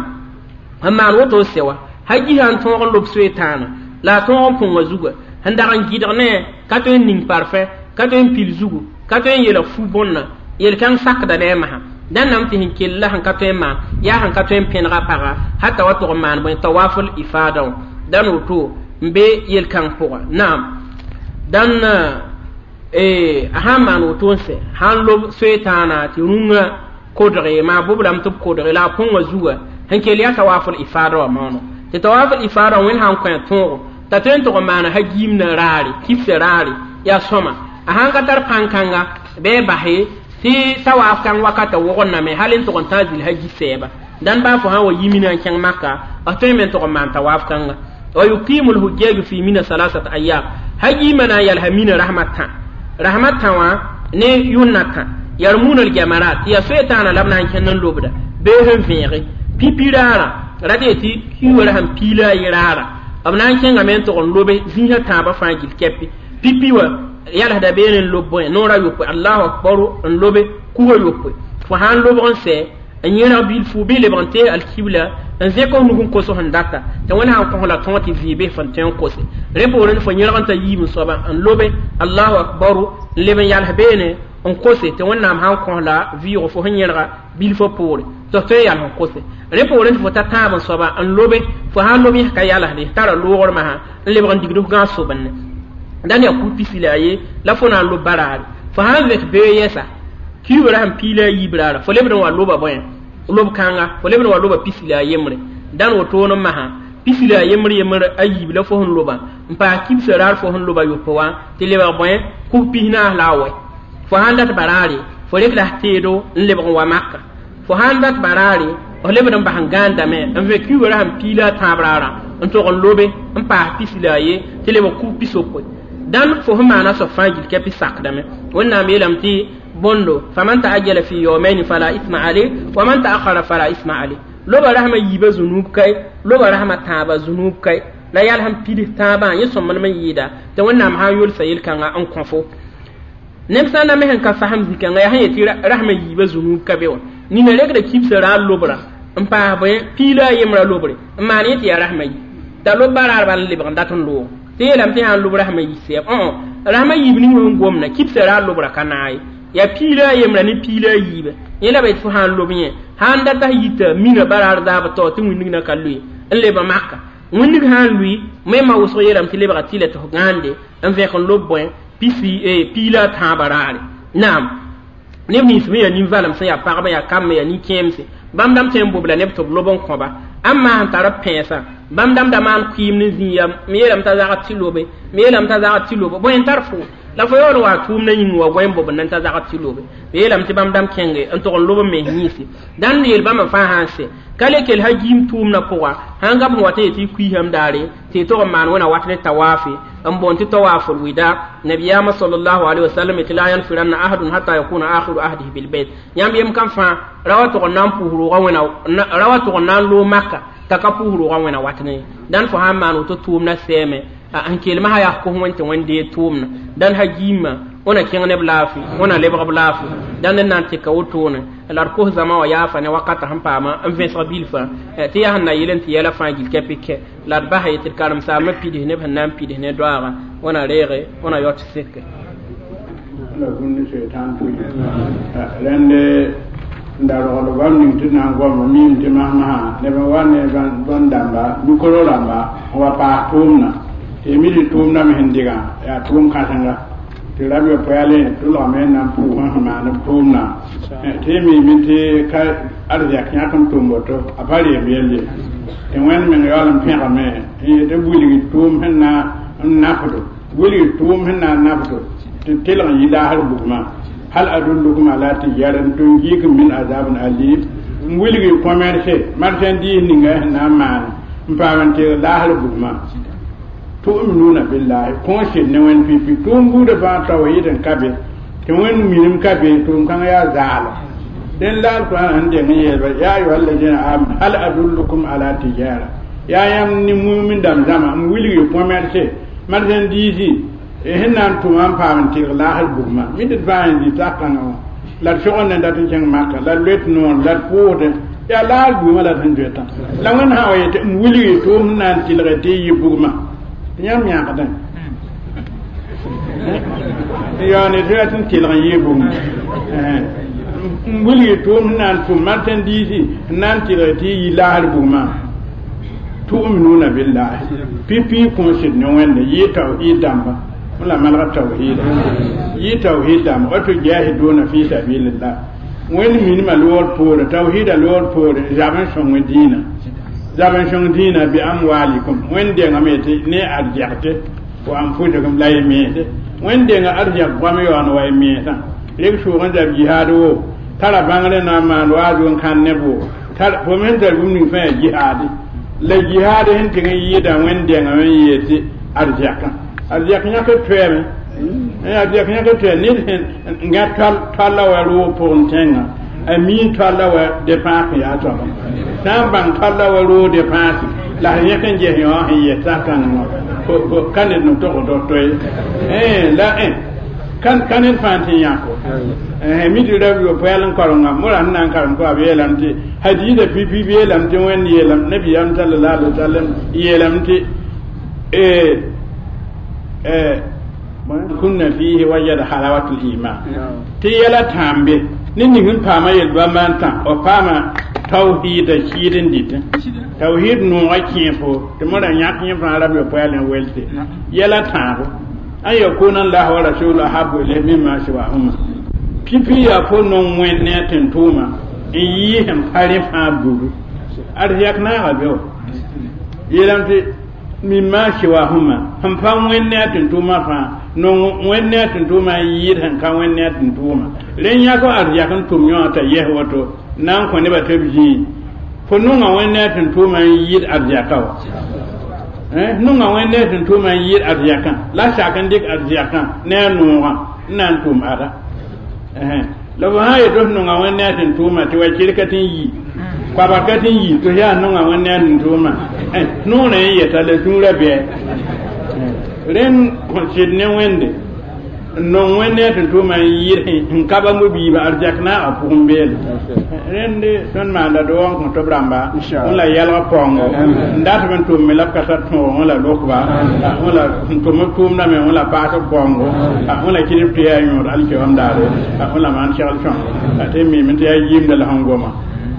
sẽn maan woto n sɛ wa haji sã n tõog n lob soe-tãana la a tõog n põngã zuga sẽn dag n gɩdg ne ka tõe n ning parfẽ ka tõe n pil zugu ka tõe n yeelg fu bõnna yel-kãng sakda ne a masã dãn nam tɩ sẽn kell la sẽn ka tõe n maan yaa sẽn ka tõe n pẽnega paga hata wa tog n maan bõe tawaful ifada wã dãn woto n be yel-kãng pʋga naam dãn a sãn maan woto n sɛ sãn lob soe-tãana tɩ rũngã kodge maa boblame tɩ b kodge la a põngã zuga sẽn kell yaa tawaful ifada wã maono tɩ tawaful ifada wẽnd sãn kõ a tõogo t'a tõe n tog n maana hagiimdã raare kibsã raare yaa sõma a sãn ka tar pãn-kãnga bɩ a base tɩ tawaaf kãng wakata wogdname hal n tog n tãag zil hagi sɛɛba dãn baa fo sãn wa yi mina n kẽng maka b tõe me n tog n maan tawaaf kãnga wa yuqimu lhujjaju fi mina salasat ayam hagiimã na n yalsa mina rasmã tã rasmã tã wã ne yʋnna tã yarmuna ljamarat tɩ yaa soe-tãana la b na n kẽnd n lobda bee sẽn vẽege pipi raara rat ye tɩ kiwra sẽn piila a yɩ raara b na n kẽngame n tog n lobe zĩisã tãabã fãa gil kɛpɩ pipi wã yalsda beene n lob bõe noorã yopoe allahu akbaru n lobe kuga yopoe fo sã n lobg n sɛ n yẽrg bilfu bɩ lebg n tees alkibla n zẽk f nug n kos sẽn data tɩ wẽnd sãn kõs la tõog tɩ vɩɩ bɩ fõn tõe n kose rẽ poorẽ fo yẽrg n ta yiib n soaba n lobe allahu akbaru n leb n yals beene n kose tɩ wẽnnaam sãn kõs la vɩɩgo fo sẽn yẽrga bilfã poore tɩ f tõe n yals n kose rẽ poorẽ tɩ fo ta tãab n soaba n lobe fo sãn lob yẽs ka yalsde tara loogr masã n lebg n digd f gãag sobenne dãn yaa ku pisi la a ye la fo na n lob baraare fo sãn vẽk bee yɛsa kiugrã sẽn piila a yiib raara fo lebd n wa loba bõe lob kãnga fo lebd n wa loba pisi la a yembre dãn wotoon n masã pisi la a yembr yembr a yiib la fo sẽn loba n paas kibsã raar fo sẽn loba yopoe wã tɩ lebg bõe kub pisnaas la a wɛ fo sãn dat baraare fo rekda f teedo n lebg n wa maka fo sãn dat baraare f lebd n bas n gãandame n vẽ kiugrã sẽn piila a tãab raarã n tog n lobe n paas pis la a ye tɩ lebg kug pisopoe dãn fo sẽn maana soab fãa gill kɛpɩ sakdame wẽnnaam yeelame tɩ bõndo faman taajjala fi yawmayni fala isma alayh wa man taakhara fala isma alayh loba rasmã yiibã zũnuub kae loba rasmã tãabã zũnuub kae la yal sẽn pids tãabã yẽ sõmblem n yɩɩda tɩ wẽnnaam sã n yolsa yel-kãngã n kõ fo neb sã n na me sẽn ka fasem zĩ-kãngã yaa sẽn yetɩ rasmã yiibã zũnuub ka be wã nina regda kibsã ra a lobra n paas bõe piila a yembrã lobre n maan yẽ tɩ yaa rasmã yi t'a lob baraar bal n lebg n dat n loog tɩ yeelame tɩ sã n lob rasmã yi sɛɛb rasmã yiib ning sẽn gomna kibsã ra a lobra ka naag ye yaa piila a yembrã ne piila a yiibã yẽ la ba yetɩ fo sã n lob yẽ sã n data yita mina baraar zaab tao tɩ wĩndg na ka loe n leba maka wĩndg sã n lʋɩ mema wʋsg yeelame tɩ lebga tɩ la tɩ f gãande n vẽk n lob bõe pisi piila a tãabã raare naam neb nins me yaa nin-valem sẽn yaa pagba yaa kamb yaa nin-kẽemse bãmb dãmb tõe n bobla neb tɩ b lob n kõba ãmb maa sẽn tar b pẽesã bãmb dãmb da maan kʋɩɩm ne zĩig ya m yeelame t'a zagd tɩ lobe m yeelame t'a zagd tɩ lobe bõe n tar fo la fo yaool wa tʋʋmdã yĩng wa goe n bobd n t'a zagd tɩ lobe b yeelame tɩ bãmb dãmb kẽnge n tog n lob n mens yĩnse dãn yeel bãmb fãa sã n sɛ ka le kell sã giim tʋʋmdã pʋga sãn gab n wat n yetɩ y kuiisame daare tɩ y tog n maan wẽna wat ne tawaafe n boond tɩ tawaaful wida nabiyaamã sallallahu alaihi wasallam tɩ la yanfiranna ahadun hatta yakuna akhiru ahdihi bilbayt yãmb yem kam fãa ra wa tog n na n pʋʋs roogã wẽna ra wa tog n na n loog maka t'a ka pʋʋs roogã wẽna wat ne dãn fo sã n maan woto tʋʋmdã sɛɛme n kelma sã yaa kos wẽn tɩ wẽn dee tʋʋmdã dãn sã giimã wẽna kẽng neb laafɩ wẽna lebg b laafɩ dãn n na n tɩka wotone la d kos zãma wã yaafa ne wakata sẽn paama n vẽsg bilfã tɩ yaa sẽn na yel n tɩ yɛla fãa gill kɛpɩ kɛ la d basa yetɩ d karen-saambã pids neb sẽn na n pids ne doaaga wẽna reege wẽna yao tɩ seke rẽnd n da rogl bãmb ning tɩ na n goama miime tɩ masmasã neb n wa ne bõn-dãmba mikoro rãmba n wa paas tʋʋmdã tɩ mi tɩ tʋʋmdã me sẽn dɩgã yaa tʋʋm kãsenga tɩ rab yopoeale tʋlgame n na n pʋʋs sẽn maan b tʋʋmdã tɩ y miime tɩ ka arzɛk yãk n tʋm woto a pa reem yell ye tɩ wẽnd meng yaool n pẽgame n yetɩ wilg tʋʋm sẽn na n nafdo wilg tʋʋm sẽn na n nafdo tɩ tɩlg n yi laasr bugmã hal adullukum ala tijaran tunjikum min azabin alim n wilg commerce marchandise ninga sẽn na n maan n paam n tɩg laasr bugmã tu'minuna billahi kõ sɩd ne wẽnd pipi tʋʋm buudã fãa tawhid n ka be tɩ wẽnd minim ka be tʋʋm kãngã yaa zaala dẽn la alquran sẽn deng n yeelba ya ayuha alladina amanu hal adullukum ala tijara yaa yãmb ne mumin dãmb zãma n wilg commerce marchandise sẽn na n tʋma n paam n tɩlg laasr bugmã mi tɩ d fãa n zĩ sak-kãngã wã la d sogend n dat n kẽng maka la d loet noor la d pʋʋsdẽ yaa laasr bugmã la d sẽn zoetã la wẽnd sã wa yetɩ n wilg tʋʋm sẽn na n tɩlge tɩ y yɩ bugmã tɩ yãmb yãkdẽ yaoone tɩ rat n tɩlg n yɩ bugmã n wilg tʋʋm sẽn na n tʋm marchandise n na n tɩlge tɩ y yɩ laasr bugmã tu'minuna billahi pipi kõ sɩd ne wẽnde yɩ tawhid dãmba la malga tawhida yɩ tawhid dãmba wa tujahiduna fi sabilillah wẽnd minimã loor poore tawhida loor poore zab n sõng dĩinã zab n sõng dĩinã bi amwalikum wẽnd dengame tɩ ne arzɛgte wa anfusikum la y mense wẽnd denga arzɛg goam yaoon wa y mensã reg sʋʋg n zab jihaad wo tara bãngre na n maan waazu n kãn neb wo fo me sẽn tar bũmb ning fãa yaa jihaade la jihaad sẽn tɩg n yɩɩda wẽnd dengame n yeel tɩ arzɛkã arzɛk yãk toɛɛme arzɛk yãk toɛ ned sẽn n gã toalla wa roog pʋgẽ tẽngã a mii toalla wa depãas yaa soaba sã n bãng toalla wa roog depãase la sẽn yẽk n ges yõ sẽn yɛs sak-kãngã wã ka ned no tog tog toe la ka ned fãa tɩ yãko mi tɩ rab yopoɛl n karenga mora sẽn na n karem ko a b yeelame tɩ hadiisa pipi b yeelame tɩ wẽnd yeelame nabiyaam sallallahu alaihi wasallam yeelame tɩ kunna fihi wajada halawatul iman tɩ yɛla tãambe ne ning n paama yel-bãmba n tã f paama tawhiida sɩɩd n dɩtẽ tawhid noogã kẽe fo tɩ mora yãk yẽ fãa rab yopoɛl n welse yɛla tãabo an yakuna allah wa rasuluhu ahabbu ilayhi mimma siwahuma pipi yaa fo nong wẽnd ne a tẽn-tʋʋma n yɩɩ sẽn pa rẽ fãa budu arzɛk naaga be wa yeelame tɩ mimma siwahuma sẽn pa wẽnd ne a tẽn-tʋʋmã fãa nong wẽnd ne a tẽn-tʋʋmã n yɩɩd sẽn ka wẽnd ne a tẽn-tʋʋmã rẽ yãk arzɛk n tʋm yõ t'a yɛs woto na n kõ nebã tɩ b zĩig fo nonga wẽnd ne a tẽn-tʋʋmã n yɩɩd arzɛka wa Nonga wẽnd ne sẽn tʋʋma n yɩɩd arzɛkã la sak n dɩk arzɛkã ne a noogã n na n tʋm ada la fo sã n yet tɩ f nonga wẽnd ne a sẽn tʋʋma tɩ wa kerka tɩ n yi koabg ka tɩ n yi tɩ f yaa nonga wẽnd ne a sẽn tʋʋma noorã n yeta la sũurã bɩ rẽnd sɩd ne wẽnde n nong wẽnd ne a sẽn tʋʋma n yɩɩd n ka ba mo-biibã arzɛk naagã pʋgẽ beele rẽnd tõnd maanda doog n kõ tɩ b rãmba wẽn la yɛlg paoongo n dat b n tʋmme la b ka tar tõog wẽ la lokba wẽ la sẽn tʋm b tʋʋmdame wẽ la paas b paoongo wẽ la kɩdb tɩ yaa yõod alkiyoom daare wẽ la maan segl sõngo tɩ m miime tɩ yaa yimda la sẽn goma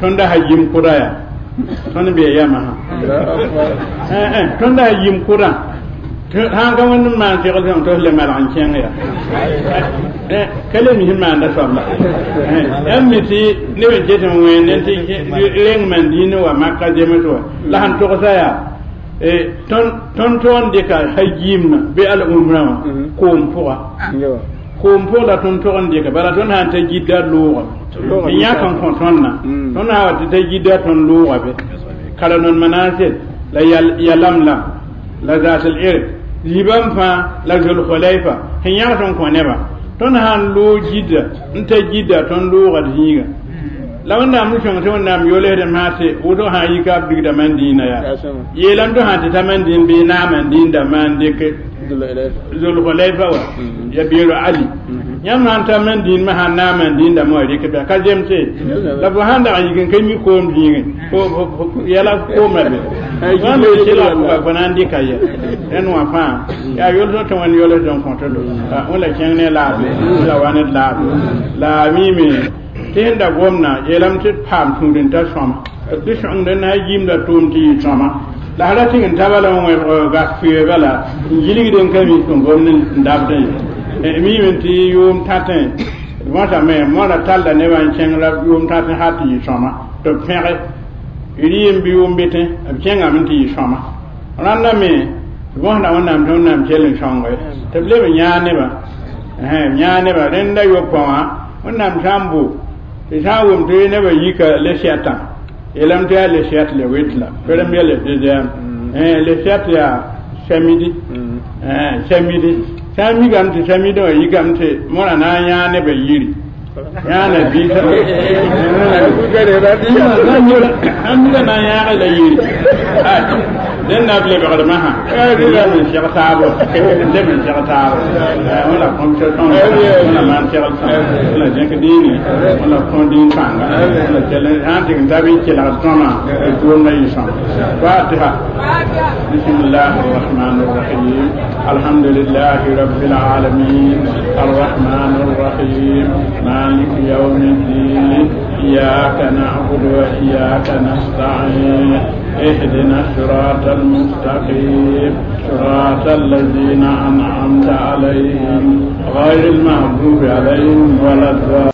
tõnd da sa yim kʋda yaa tõnd bee yamã sã tõnd da sa yim kʋdã sãn ka wẽnd n maan segl sõng tɩ f le malg n kẽng ya ka le mis n maanda soabla yãmb mi tɩ neb n ket n wẽende tɩ reng man dĩinã wa maka zems wa la sẽn togsa yaa tõnd tog n dɩka hajiimã bɩ al-umrã wã koom pʋga koom pʋg la tõnd tog n dɩka bala tõnd sã n ta gidda loogame n yãk n kõ tõndã tõnd sã wa tɩ ta gidda tõnd looga be karanon manasel la yalamlam la zaat el-irk zibam fãa la zulhulayfa sẽn yãgs n kõ nebã tõnd sã n loog gidda n ta gidda tõnd loogd zĩiga la wẽnnaam n sõng tɩ wẽnnaam yoolsdame sã tɩ wʋsg sã n yika b digda man dĩinã yaa yeelame tɩ sã tɩ ta man dĩin bɩ naam n dĩinda maan dɩk zulhulayfa wa ya beero ali yãmb sã n ta man dĩinmã sã n naam n dĩindame wa rɩk bɩ ka zemse la fo sãn dag n yik n ka mi koom zĩigẽ yɛla koomã be wãn be sela pʋga fo na n dɩka yɛ rẽnd wã fãa yaa yols tɩ wẽnd yoolsd n kõt do wẽ la kẽng ne laafɩ wẽ la wa ned laafɩ la a miime tɩ sẽn da gomna yeelame tɩ d paam tũud n ta sõma tɩ sõngd n na yimda tʋʋm tɩ yɩ sõma la sã ra tɩg n ta bala n wẽbg gas fʋɩ bala n gilgd n ka mi tɩ gomd n dabdẽ ye miime tɩ yʋʋm tãtẽ võsame moora talla nebã n kẽng la yʋʋm tãtẽ hal tɩ yɩ sõma tɩ b pẽge rɩɩm bɩ yʋʋm betẽ b kẽngame tɩ yɩ sõma rãnda me võsda wẽnnaam tɩ wẽnnaam kell n sõnge tɩ b leb n yãag nebã yãag nebã rẽnda yopã wã wẽnnaam sã n bo tɩ sã n wʋm tɩ nebã yika le sɛtã yeelame tɩ yaa le sɛt le wet la premier le deuxième le sɛt yaa samedi samedi sã n mikame tɩ samedi wã yikame tɩ mõra na n yãag nebã yiri yãana biisa sãn mika na n yãage la yiri dẽn na b lebgdmã sã leb n seg taabo leb n seg taabo wẽ la kõmsã sõng wẽ la maan segl sõng wẽ la zẽk dĩine wẽ la kõ dĩin pãnga wẽ la kell sã n tɩg n ta bɩ kelgd sõma tɩ tʋʋmda yɩ sõma fatiha bismillahi arrahmani arrahim alhamdulillahi rabbil alamin arrahmani arrahim maliki yawmi ddin iyyaka na'budu wa iyyaka nasta'in اهدنا الصراط المستقيم صراط الذين أنعمت عليهم غير المغضوب عليهم ولا الضالين.